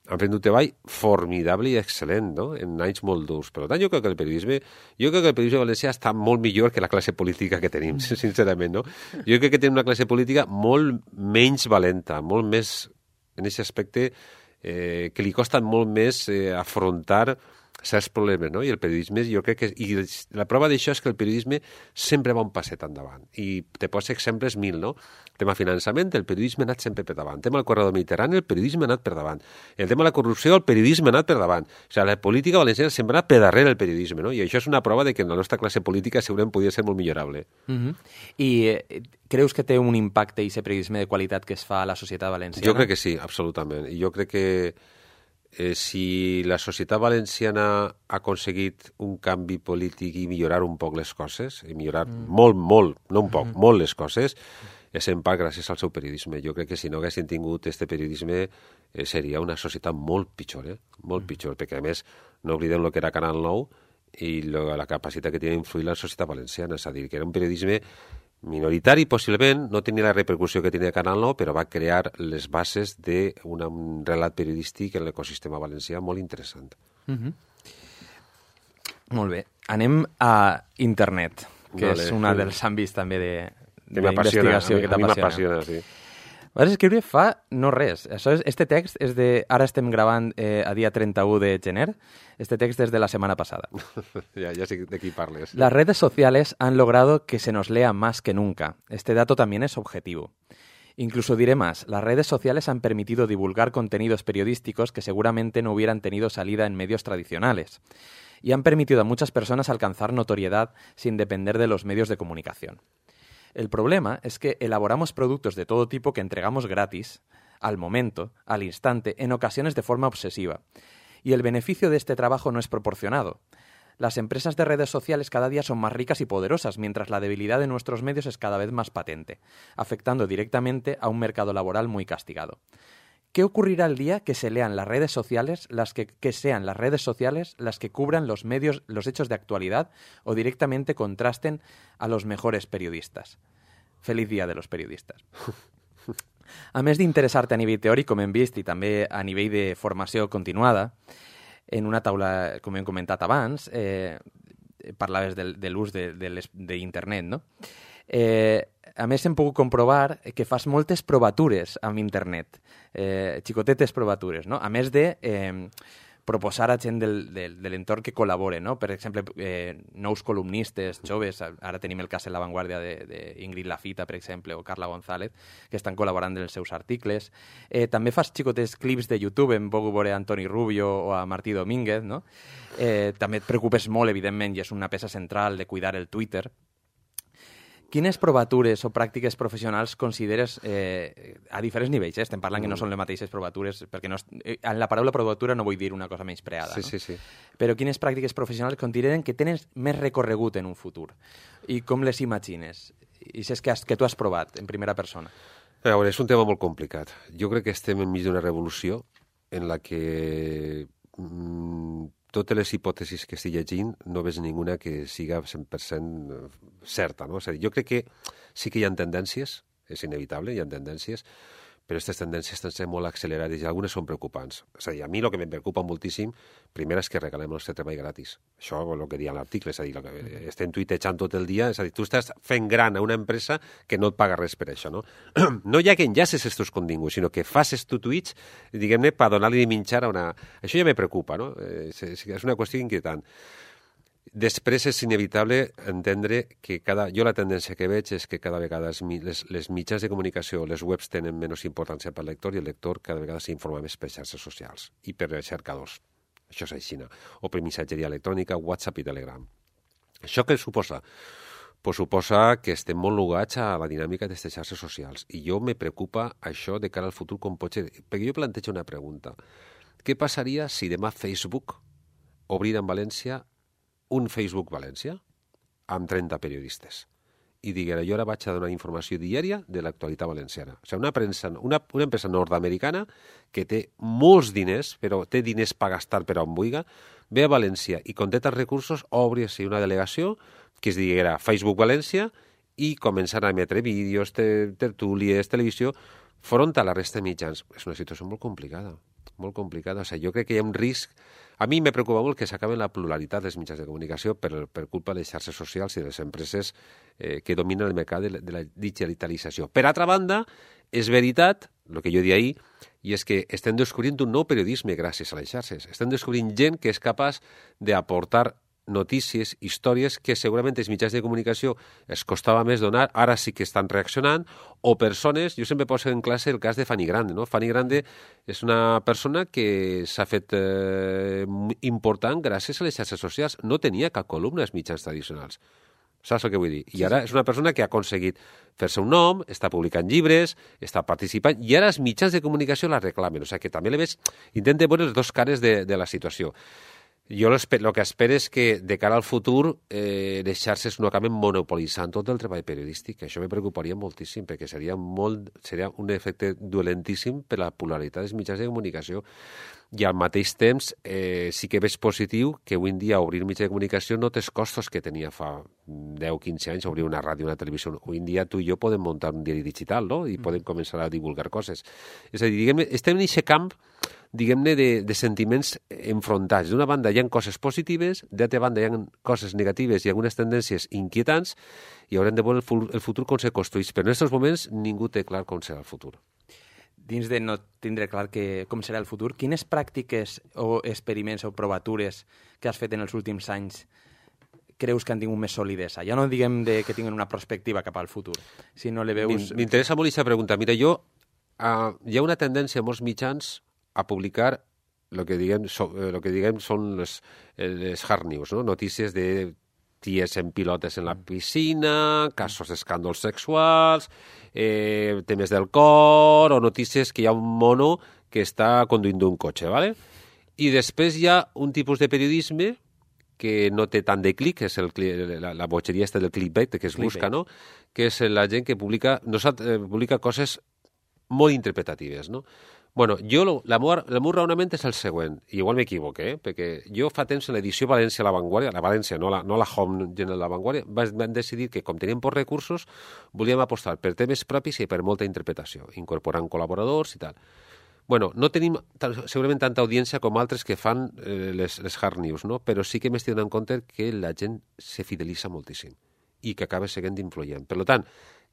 han fet un treball formidable i excel·lent, no? En anys molt durs. Per tant, jo crec que el periodisme, jo crec que el periodisme valencià està molt millor que la classe política que tenim, sincerament, no? Jo crec que tenim una classe política molt menys valenta, molt més, en aquest aspecte, eh, que li costa molt més eh, afrontar certs problemes, no? I el periodisme, jo crec que... I la prova d'això és que el periodisme sempre va un passet endavant. I te poso exemples mil, no? El tema finançament, el periodisme ha anat sempre per davant. El tema del corredor mediterrani, el periodisme ha anat per davant. El tema de la corrupció, el periodisme ha anat per davant. O sigui, la política valenciana sempre ha anat per darrere el periodisme, no? I això és una prova de que la nostra classe política segurament podria ser molt millorable. Uh-huh. I eh, creus que té un impacte i aquest periodisme de qualitat que es fa a la societat valenciana? Jo crec que sí, absolutament. I jo crec que Eh, si la societat valenciana ha aconseguit un canvi polític i millorar un poc les coses, i millorar mm. molt, molt, no un poc, mm. molt les coses, és en part gràcies al seu periodisme. Jo crec que si no haguessin tingut este periodisme eh, seria una societat molt pitjor, eh? molt mm. pitjor, perquè a més no oblidem el que era Canal nou i lo, la capacitat que tenia d'influir la societat valenciana, és a dir, que era un periodisme minoritari, possiblement, no tenia la repercussió que tenia Canal nou, però va crear les bases d'un relat periodístic en l'ecosistema valencià molt interessant. Mm-hmm. Molt bé. Anem a internet, que vale. és un dels àmbits també de, de investigació que t'apassiona. A mi m'apassiona, sí. Vas escriure fa no res. Això és, este text és de... Ara estem gravant eh, a dia treinta-u de gener. Este text és de la semana pasada. ya, ya sé de qué parles. Las redes sociales han logrado que se nos lea más que nunca. Este dato también es objetivo. Incluso diré más, las redes sociales han permitido divulgar contenidos periodísticos que seguramente no hubieran tenido salida en medios tradicionales. Y han permitido a muchas personas alcanzar notoriedad sin depender de los medios de comunicación. El problema es que elaboramos productos de todo tipo que entregamos gratis, al momento, al instante, en ocasiones de forma obsesiva. Y el beneficio de este trabajo no es proporcionado. Las empresas de redes sociales cada día son más ricas y poderosas, mientras la debilidad de nuestros medios es cada vez más patente, afectando directamente a un mercado laboral muy castigado. ¿Qué ocurrirá el día que se lean las redes sociales, las que, que sean las redes sociales las que cubran los medios, los hechos de actualidad o directamente contrasten a los mejores periodistas? Feliz dia de los periodistes. A més d'interessar-te a nivell teòric, com hem vist, i també a nivell de formació continuada, en una taula, com hem comentat abans, eh, parlaves de, de l'ús d'internet, no? Eh, a més, hem pogut comprovar que fas moltes provatures amb internet, eh, xicotetes provatures, no? A més de eh, proposar a gent del, del, de l'entorn que col·labore, no? Per exemple, eh, nous columnistes joves, ara tenim el cas en La Vanguardia d'Ingrid Lafita, per exemple, o Carla González, que estan col·laborant en els seus articles. Eh, també fas xicotes clips de YouTube, hem pogut veure a Antoni Rubio o a Martí Domínguez, no? Eh, també et preocupes molt, evidentment, i és una peça central de cuidar el Twitter. Quines provatures o pràctiques professionals consideres eh, a diferents nivells? Eh? Estem parlant que no són les mateixes provatures, perquè no és, en la paraula provatura no vull dir una cosa menyspreada. Sí, no? sí, sí. Però quines pràctiques professionals consideren que tenen més recorregut en un futur? I com les imagines? I si és que, has, que tu has provat en primera persona. A veure, és un tema molt complicat. Jo crec que estem enmig d'una revolució en la que mmm, totes les hipòtesis que estic llegint no veig ninguna que siga cent per cent certa, no? És a dir, jo crec que sí que hi ha tendències, és inevitable, hi ha tendències, però aquestes tendències estan sent molt accelerades i algunes són preocupants. És a dir, a mi el que em preocupa moltíssim, primer és que regalem el nostre treball gratis. Això és el que deia l'article, és a dir, el que estem tuitejant tot el dia, és a dir, tu estàs fent gran a una empresa que no et paga res per això, no? No ja que enllaces estos continguts, sinó que faces tu tuits, diguem-ne, per donar-li de menjar a una... Això ja me preocupa, no? És, és una qüestió inquietant. Després és inevitable entendre que cada... Jo la tendència que veig és que cada vegada les, les mitjans de comunicació, les webs tenen menys importància pel lector i el lector cada vegada s'informa més per xarxes socials i per cercadors. Això és així, o per missatgeria electrònica, WhatsApp i Telegram. Això què suposa? Pues suposa que estem molt lligats a la dinàmica d'aquestes xarxes socials. I jo me preocupa això de cara al futur com pot ser. Perquè jo plantejo una pregunta. Què passaria si demà Facebook obrira en València un Facebook València amb trenta periodistes i diguera, jo ara vaig a donar informació diària de l'actualitat valenciana. O sigui, una, premsa, una, una empresa nord-americana que té molts diners, però té diners per gastar per on vulgui, ve a València i con tants recursos obri-se una delegació que es diguera Facebook València i començar a emetre vídeos, tertúlies, televisió, front a la resta de mitjans. És una situació molt complicada, molt complicada. O sigui, jo crec que hi ha un risc. A mi me preocupa molt que s'acaben la pluralitat dels mitjans de comunicació per, per culpa de les xarxes socials i de les empreses eh, que dominen el mercat de, de la digitalització. Per altra banda, és veritat, el que jo dia ahir, i és que estem descobrint un nou periodisme gràcies a les xarxes. Estem descobrint gent que és capaç d'aportar notícies, històries que segurament els mitjans de comunicació es costava més donar, ara sí que estan reaccionant, o persones, jo sempre poso en classe el cas de Fanny Grande, no? Fanny Grande és una persona que s'ha fet eh, important gràcies a les xarxes socials, no tenia cap columna als mitjans tradicionals. Saps el que vull dir? I ara és una persona que ha aconseguit fer-se un nom, està publicant llibres, està participant, i ara els mitjans de comunicació la reclamen. O sigui que també le veig, intenta veure les dues cares de, de la situació. Jo el que espero és que de cara al futur eh, les xarxes no acaben monopolitzant tot el treball periodístic. Això me preocuparia moltíssim perquè seria, molt, seria un efecte dolentíssim per la polaritat dels mitjans de comunicació. I al mateix temps eh, sí que veig positiu que avui en dia obrir mitjà de comunicació no té els costos que tenia fa deu o quinze anys obrir una ràdio, una televisió. Avui en dia tu i jo podem muntar un diari digital, no? I mm. podem començar a divulgar coses. És a dir, diguem, estem en aquest camp diguem-ne, de, de sentiments enfrontats. D'una banda hi ha coses positives, d'altra banda hi ha coses negatives i algunes tendències inquietants, i haurem de veure el futur com se construeix. Però en aquests moments ningú té clar com serà el futur. dins de no tindre clar que, com serà el futur, quines pràctiques o experiments o provatures que has fet en els últims anys creus que han tingut més solidesa? Ja no diguem de que tinguin una perspectiva cap al futur, si no le veus... M'interessa molt aquesta pregunta. Mira, jo, uh, hi ha una tendència a molts mitjans a publicar el que diguem, so, lo que diguem són les, les hard news, no? Notícies de ties en pilotes en la piscina, casos d'escàndols sexuals, eh, temes del cor, o notícies que hi ha un mono que està conduint un cotxe, ¿vale? I després hi ha un tipus de periodisme que no té tant de clic, és el, la, la bogeria esta del clickbait que es clickbait. busca, no? Que és la gent que publica, no, eh, publica coses molt interpretatives, no? Bueno, jo, la meva, el meu raonament és el següent, i igual m'equivoque, eh? Perquè jo fa temps en l'edició València a la Vanguardia, la València, no la, no la Home General de la Vanguardia, vam decidir que, com teníem pocs recursos, volíem apostar per temes propis i per molta interpretació, incorporant col·laboradors i tal. Bueno, no tenim segurament tanta audiència com altres que fan eh, les, les hard news, no? Però sí que m'estic donant compte que la gent se fidelitza moltíssim i que acaba seguint influent. Per tant,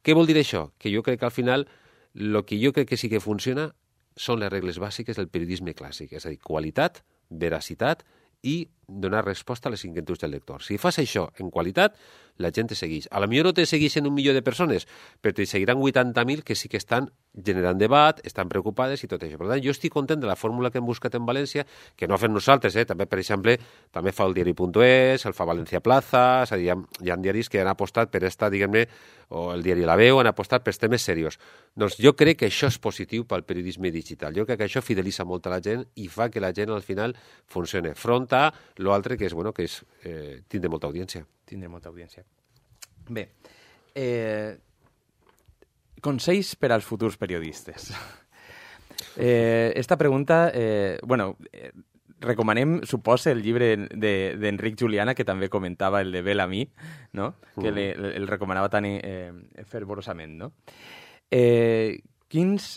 què vol dir això? Que jo crec que al final el que jo crec que sí que funciona són les regles bàsiques del periodisme clàssic, és a dir, qualitat, veracitat i donar resposta a les inquietuds del lector. Si fas això en qualitat, la gent te segueix. A la millor no te segueixen un milió de persones, però te seguiran vuitanta mil que sí que estan generant debat, estan preocupades i tot això. Per tant, jo estic content de la fórmula que hem buscat en València, que no fem nosaltres, eh? També, per exemple, també fa el diari punt es, el fa València Plaza, és a dir, hi ha, hi ha diaris que han apostat per esta, diguem-ne, o el diari La Veu, han apostat per temes serios. Doncs jo crec que això és positiu pel periodisme digital. Jo crec que això fidelitza molt a la gent i fa que la gent al final funcione. Front a l'altre que és, bueno, que és eh, tindre molta audiència. Tindre molta audiència. Bé, eh, consells per als futurs periodistes. Eh, esta pregunta, eh, bueno, eh, recomanem, suposa, el llibre d'Enric Juliana, que també comentava el de Bellamy, no? Que le, el recomanava tan eh, fervorosament, no? Eh, quins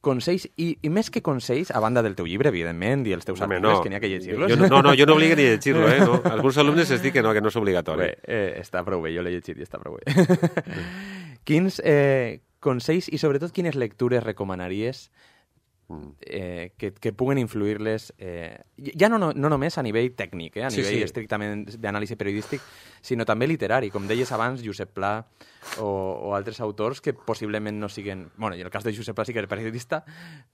consells, i, i més que consells, a banda del teu llibre, evidentment, i els teus Home, articles, no. que n'hi ha que llegir-los. Jo, no, no, jo no obligo ni a llegir-lo, eh? No. Alguns alumnes es diuen que no, que no és obligatori. Bé, eh, està prou bé, jo l'he llegit i està prou bé. Quins eh, consells i, sobretot, quines lectures recomanaries eh, que, que puguen influir-les, eh, ja no, no, no només a nivell tècnic, eh, a sí, nivell sí. estrictament d'anàlisi periodístic, sinó també literari, com deies abans, Josep Pla o, o altres autors que possiblement no siguen... Bueno, i en el cas de Josep Pla sí que era periodista,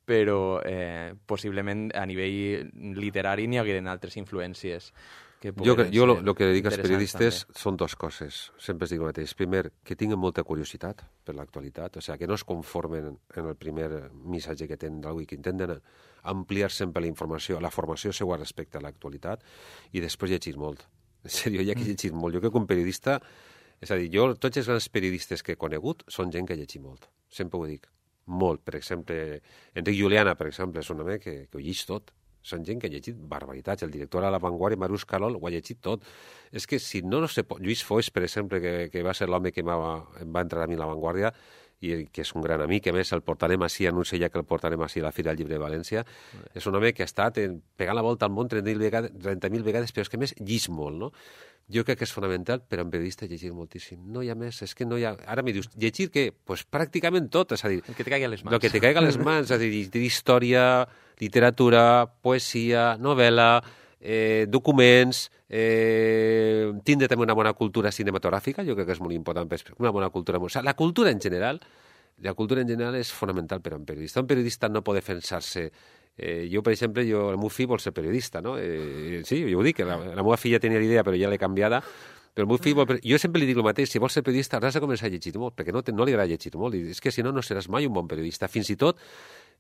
però eh, possiblement a nivell literari n'hi hagueren altres influències. Que jo jo el que dic als periodistes també. Són dues coses, sempre es dic el mateix. Primer, que tinguin molta curiositat per l'actualitat, o sigui, que no es conformen en el primer missatge que tenen d'algú i que intenten ampliar sempre la informació, la formació seva respecte a l'actualitat, i després llegir molt. En sèrio, hi ha que llegir molt. Jo crec que un periodista... És a dir, jo, tots els grans periodistes que he conegut són gent que llegit molt. Sempre ho dic. Molt. Per exemple, Enric Juliana, per exemple, és un home que, que ho llegeix tot. Són gent que ha llegit barbaritats. El director a La Vanguardia, Marius Carol, ho ha llegit tot. És que si no, no sé... Lluís Foix, per exemple, que, que va ser l'home que em va entrar a mi a La Vanguardia, i que és un gran amic, a més el portarem així, anuncia ja que el portarem així a la Fira del Llibre de València. Sí. És un home que ha estat pegant la volta al món trenta mil vegades, trenta mil vegades, però és que a més llis molt, no? Jo crec que és fonamental per a un periodista llegir moltíssim. No hi ha més, és que no hi ha... Ara me dius, llegir què? Pues pràcticament tot, és a dir... El que te caiga a les mans. El que te caiga a les mans, és a dir, història, literatura, poesia, novel·la, eh, documents, eh, tindre també una bona cultura cinematogràfica, jo crec que és molt important, una bona cultura... O sigui, la cultura en general, la cultura en general és fonamental per a un periodista. Un periodista no pot defensar-se... Eh, jo, per exemple, jo, el meu fill vol ser periodista, no? Eh, sí, jo ho dic, la, la meva filla tenia l'idea, però ja l'he canviada. Però el meu fill vol... Jo sempre li dic el mateix, si vols ser periodista has de començar a llegir molt, perquè no, te, no li agrada llegir molt, i és que si no, no seràs mai un bon periodista. Fins i tot,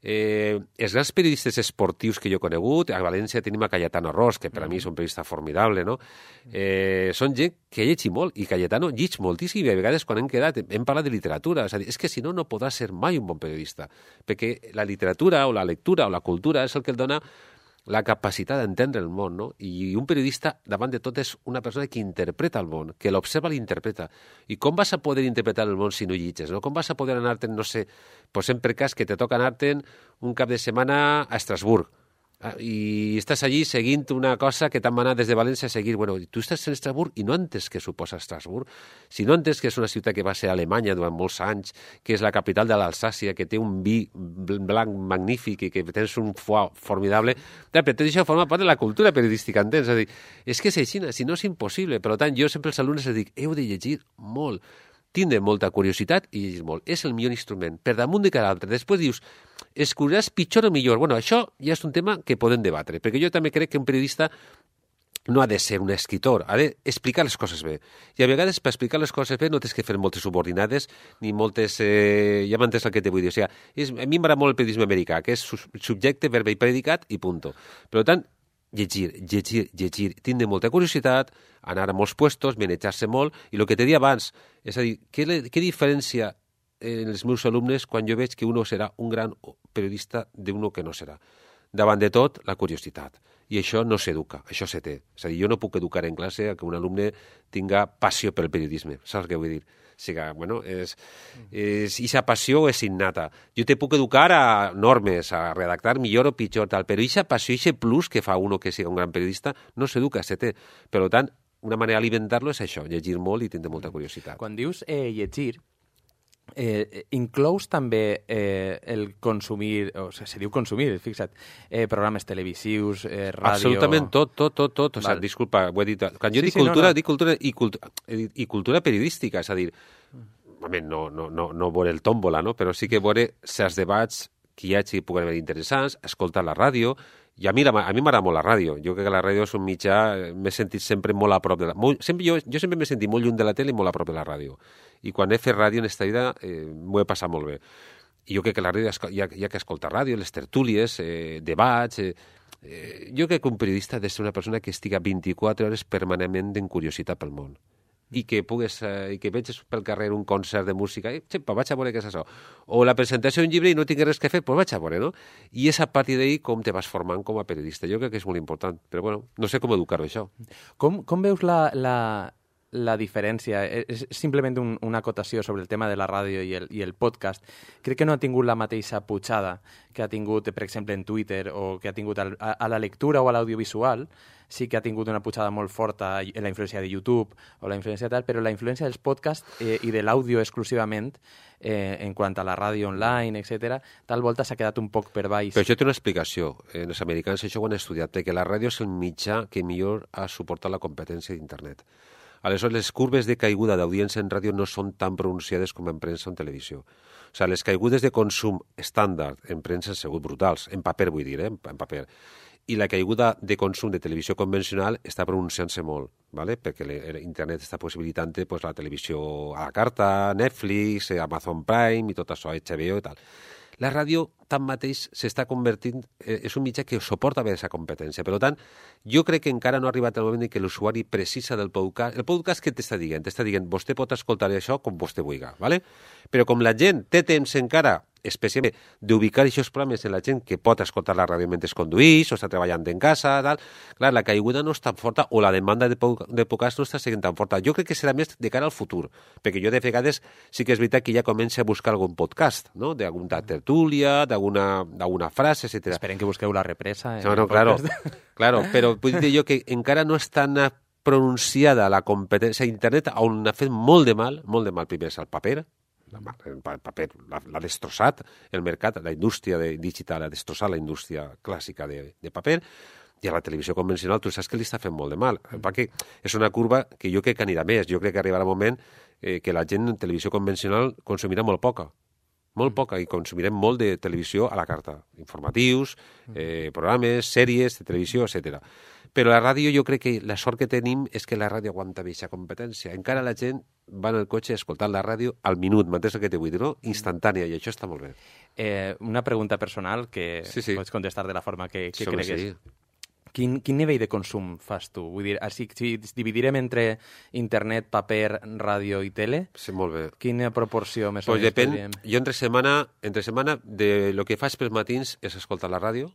eh, els grans periodistes esportius que jo he conegut, a València tenim a Cayetano Ros, que per a mi és un periodista formidable, no? Eh, són gent que ha llegit molt, i Cayetano llig moltíssim, i a vegades quan hem quedat hem parlat de literatura, és a dir, és que si no, no podrà ser mai un bon periodista, perquè la literatura o la lectura o la cultura és el que el dona la capacitat d'entendre el món, no? I un periodista, davant de tot, és una persona que interpreta el món, que l'observa i l'interpreta. I com vas a poder interpretar el món si no llitges, no? Com vas a poder anar-te'n, no sé, posem per cas que te toca anar-te'n un cap de setmana a Estrasburg, i estàs allí seguint una cosa que t'han manat des de València a seguir. Bueno, tu estàs en Estrasburg i no entens què suposa Estrasburg. Si no entens que és una ciutat que va ser Alemanya durant molts anys, que és la capital de l'Alsàcia, que té un vi blanc magnífic i que tens un foie formidable, però tot això forma part de la cultura periodística, entens? És a dir, és que és així, si no és impossible. Per tant, jo sempre als alumnes els dic, heu de llegir molt, tindre molta curiositat i llegir molt. És el millor instrument, per damunt de cada altre. Després dius, escolliràs pitjor o millor. Bueno, això ja és un tema que podem debatre, perquè jo també crec que un periodista no ha de ser un escritor, ha d'explicar les coses bé. I a vegades, per explicar les coses bé, no tens que fer moltes subordinades, ni moltes... Eh, ja m'entens el que te vull dir. O sigui, és, a mi m'agrada molt el periodisme americà, que és subjecte, verbe i predicat i punto. Per tant, llegir, llegir, llegir, tindre molta curiositat, anar a molts puestos, manejar-se molt, i el que te dia abans, és a dir, què, què diferència en els meus alumnes quan jo veig que uno serà un gran periodista d'uno que no serà? Davant de tot, la curiositat. I això no s'educa, això se té. És a dir, jo no puc educar en classe a que un alumne tinga passió pel periodisme. Saps què vull dir? O sigui, bueno, és, és, aquesta passió és innata. Jo te puc educar a normes, a redactar millor o pitjor, tal, però aquesta passió, aquest plus que fa uno que sigui un gran periodista, no s'educa, se té. Per tant, una manera d'alimentar-lo és això, llegir molt i tindre molta curiositat. Quan dius eh, llegir, eh, inclous també eh, el consumir, o sigui, se diu consumir, fixa't, eh, programes televisius, eh, ràdio... Absolutament tot, tot, tot, tot. O sigui, disculpa, ho he dit... Quan jo sí, dic sí, cultura, no, no. dic cultura i, cultura i cultura periodística, és a dir, no, no, no, no veure el tòmbola, no? Però sí que veure certs debats que hi hagi que puguen haver interessants, escoltar la ràdio. I a mi, a mi m'agrada molt la ràdio. Jo crec que la ràdio és un mitjà... M'he sentit sempre molt a prop de la... Molt, sempre, jo, jo sempre m'he sentit molt lluny de la tele i molt a prop de la ràdio. I quan he fet ràdio en esta vida eh, m'ho he passat molt bé. I jo crec que la ràdio hi ha, hi ha que escoltar ràdio, les tertúlies, eh, debats... Eh, eh, jo crec que un periodista ha de ser una persona que estiga vint-i-quatre hores permanentment en curiositat pel món. I que pugues, eh, i que veges pel carrer un concert de música, i xepa, vaig a veure què és això. O la presentació d'un llibre i no tinc res que fer, doncs vaig a veure, no? I és a partir d'ahir com te vas formant com a periodista. Jo crec que és molt important, però bueno, no sé com educar-ho, això. Com, com veus la, la, la diferència? És simplement un, una acotació sobre el tema de la ràdio i el, i el podcast. Crec que no ha tingut la mateixa pujada que ha tingut, per exemple, en Twitter o que ha tingut a, a la lectura o a l'audiovisual. Sí que ha tingut una pujada molt forta en la influència de YouTube o la influència tal, però la influència dels podcasts eh, i de l'àudio exclusivament eh, en quant a la ràdio online, etcètera, tal volta s'ha quedat un poc per baix. Però això té una explicació. Eh, els americans això ho han estudiat, perquè la ràdio és el mitjà que millor ha suportat la competència d'internet. Aleshores, les curves de caiguda d'audiència en ràdio no són tan pronunciades com en premsa o en televisió. O sigui, les caigudes de consum estàndard en premsa han sigut brutals, en paper vull dir, eh? en paper. I la caiguda de consum de televisió convencional està pronunciant-se molt, ¿vale? Perquè l'internet està possibilitant pues, la televisió a la carta, Netflix, Amazon Prime i tot això, H B O i tal. La ràdio, tanmateix, s'està convertint... Eh, és un mitjà que suporta bé aquesta competència. Per tant, jo crec que encara no ha arribat el moment en què l'usuari precisa del podcast. El podcast què t'està dient? T'està dient, vostè pot escoltar això com vostè vulgui, ¿vale? Però com la gent té temps encara, especialment d'ubicar aquests programes en la gent que pot escoltar la ràdio mentre es condueix o està treballant en casa, tal, clar, la caiguda no és tan forta o la demanda de, de podcast no està sent tan forta. Jo crec que serà més de cara al futur, perquè jo de vegades sí que és veritat que ja comença a buscar algun podcast, no?, d'alguna tertúlia, d'alguna frase, etcètera. Esperen que busqueu la represa. No, no, claro, claro, però vull dir jo que encara no és tan pronunciada la competència a internet, on ha fet molt de mal, molt de mal primer és el paper, el paper l'ha destrossat el mercat, la indústria de digital ha destrossat la indústria clàssica de, de paper, i a la televisió convencional tu saps que li està fent molt de mal, perquè és una curva que jo crec que anirà més. Jo crec que arribarà un moment eh, que la gent en televisió convencional consumirà molt poca, molt poca, i consumirem molt de televisió a la carta, informatius, eh, programes, sèries de televisió, etcètera. Però la ràdio, jo crec que la sort que tenim és que la ràdio aguanta bé aquesta competència. Encara la gent va en el cotxe escoltant la ràdio al minut, m'entens el que te vull dir, no? Instantània, i això està molt bé. Eh, una pregunta personal que sí, sí. pots contestar de la forma que, que cregues. Sí. Quin, quin nivell de consum fas tu? Vull dir, si, si dividirem entre internet, paper, ràdio i tele, sí, molt bé. Quina proporció més pues o menys depèn, podríem? Jo entre setmana, entre setmana de lo que faig pels matins és escoltar la ràdio.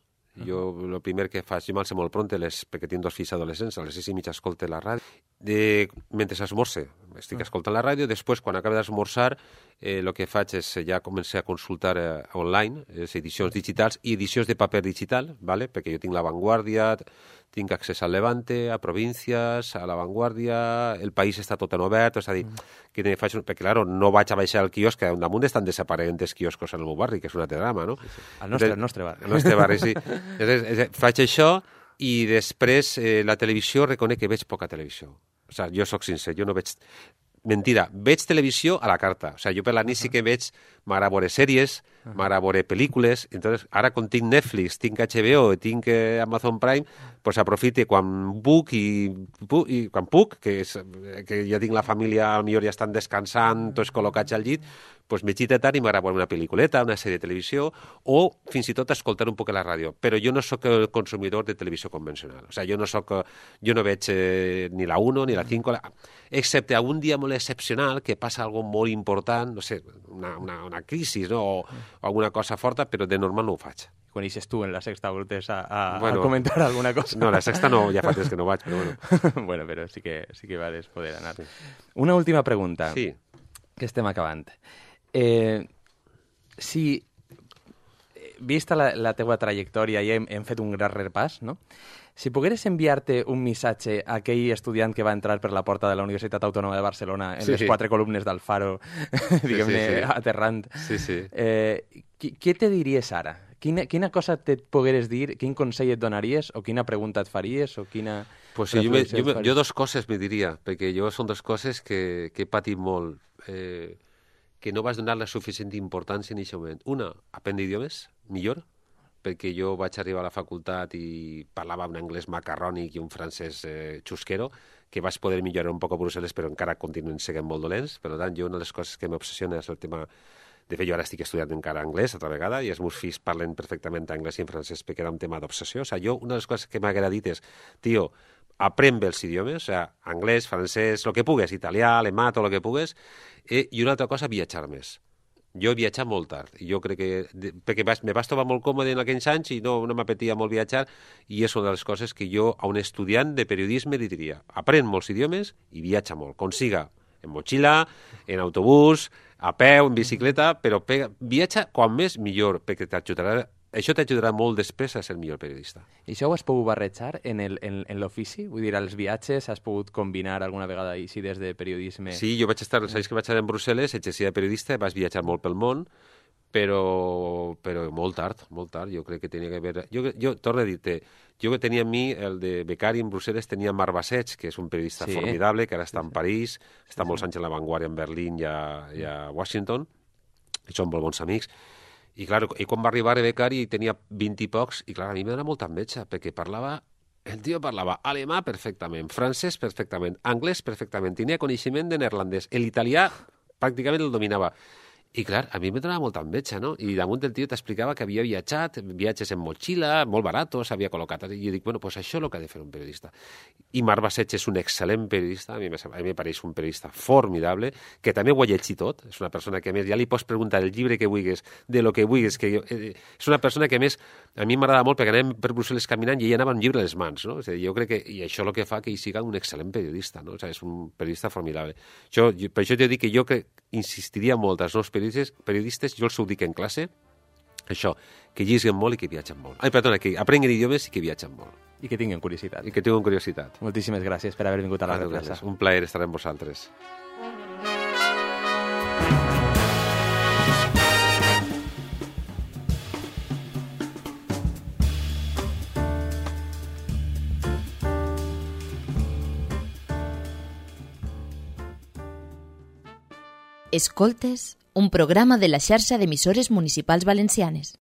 Jo, el primer que faig, jo m'alço molt pront, les, perquè tinc dos fills adolescents, a les sis i mitja escolte la ràdio. De, mentre esmorce, estic escoltant la ràdio, després, quan acabo d'esmorzar, el eh, que faig és ja començar a consultar eh, online, les edicions digitals i edicions de paper digital, ¿vale? Perquè jo tinc La Vanguardia, tinc accés al Levante, a Províncies, a La Vanguardia, El País està tot en obert, és a dir, que ne faig un... perquè, clar, no vaig a baixar al quiosc, que damunt estan desapareguent els quioscos en el meu barri, que és un altre drama, no? Sí, sí. El nostre, el nostre barri. El nostre barri, sí. Llavors, faig això i després eh, la televisió reconec que veig poca televisió. O sigui, jo sóc sincer, jo no veig... Mentida, veig televisió a la carta. O sigui, jo per la nit sí que veig, m'agrada veure sèries, m'agrada veure pel·lícules. Entonces, ara com tinc Netflix, tinc H B O, tinc eh, Amazon Prime, pues aprofite quan puc i, puc, i quan puc, que, és, que ja tinc la família, potser ja estan descansant, tots col·locats al llit, pues me xita tant i m'agrada veure una pel·lículeta, una sèrie de televisió, o fins i tot escoltar un poc la ràdio. Però jo no sóc el consumidor de televisió convencional. O sigui, jo no soc, jo no veig eh, ni la uno ni la cinco, la... excepte algun dia molt excepcional que passa algo molt important, no sé, una, una, una crisi, no? o, o alguna cosa forta, però de normal no ho faig. Quan eixes tu en la Sexta voltes a, a, bueno, a comentar alguna cosa. No, la Sexta no, ja fa temps que no vaig, però bueno. Bueno, però sí que, sí que vales poder anar. Sí. Una última pregunta, sí. Que estem acabant. Eh, si, vista la, la teua trajectòria i hem, hem fet un gran repàs, no? Si pogueres enviar-te un missatge a aquell estudiant que va entrar per la porta de la Universitat Autònoma de Barcelona en sí, les quatre columnes d'Alfaro, diguem-ne, sí, sí, sí. aterrant, sí, sí. Eh, qui, què te diries ara? Quina, quina cosa te pogueres dir, quin consell et donaries, o quina pregunta et faries, o quina... Pues sí, jo, me, jo, me, jo dos coses me diria, perquè jo són dues coses que, que he patit molt, eh, que no vas donar la suficient importància en aquest moment. Una, aprendre idiomes, millor, perquè jo vaig arribar a la facultat i parlava un anglès macarrònic i un francès eh, xusquero, que vaig poder millorar un poc a Brussel·les, però encara continuen sent molt dolents. Per tant, jo una de les coses que m'obsessiona és el tema... De fet, jo ara estic estudiant encara anglès altra vegada i els meus fills parlen perfectament anglès i en francès perquè era un tema d'obsessió. O sigui, jo una de les coses que m'ha dit és, tio, aprèn bé els idiomes, o sigui, anglès, francès, el que pugues, italià, alemà, tot el que pugues, eh, i una altra cosa, viatjar més. Jo he viatjat molt tard, i jo crec que... De, perquè vas, me vas trobar molt còmode en aquells anys i no, no m'apetia molt viatjar, i és una de les coses que jo a un estudiant de periodisme li diria. Aprèn molts idiomes i viatja molt. Consiga en motxilla, en autobús, a peu, en bicicleta, però pega, viatja quan més millor, perquè t'ajudarà, això t'ajudarà molt després a ser millor periodista. I això ho has pogut barrejar en, el, en, en l'ofici? Vull dir, als viatges has pogut combinar alguna vegada així des de periodisme? Sí, jo vaig estar, els anys que vaig estar en Brussel·les, exercia de periodista, vas viatjar molt pel món, però, però molt tard, molt tard, jo crec que tenia que haver... Jo, jo torno a dir-te, jo que tenia a mi, el de becari en Brussel·les, tenia Marc Basseig, que és un periodista sí. formidable, que ara està sí, sí. en París, està sí, molts sí. anys en La Vanguardia, en Berlín i a, i a Washington, i són molt bons amics. I, clar, i quan va arribar a becari tenia vint i pocs, i clar, a mi m'era molta enveja, perquè parlava... El tio parlava alemà perfectament, francès perfectament, anglès perfectament, tenia coneixement de neerlandès, l'italià pràcticament el dominava. I, clar, a mi me donava molta enveja, no? I damunt el tio t'explicava que havia viatjat, viatges en motxilla, molt baratos, s'havia col·locat... I jo dic, bueno, pues això és el que ha de fer un periodista. I Marc Basseig és un excel·lent periodista, a mi, a mi pareix un periodista formidable, que també ho ha llegit tot, és una persona que, a més, ja li pots preguntar el llibre que vulguis, de lo que vulguis, que jo, eh, és una persona que, a més, a mi m'agrada molt perquè anem per Brussel·les caminant i ell anava amb un llibre a les mans, no? És a dir, jo crec que, i això el que fa que ell siga un excel·lent periodista, no? O sigui, és un periodista formidable. Jo, jo, per això t'he dit que jo que insistiria molt als nous periodistes, periodistes, jo els ho dic en classe, això, que llegeixen molt i que viatgen molt. Ai, perdona, que aprenguin idiomes i que viatgen molt. I que tinguin curiositat. I que tinguin curiositat. Moltíssimes gràcies per haver vingut a la replaça. Un plaer estar amb vosaltres. Escoltes, un programa de la xarxa d'emissores municipals valencianes.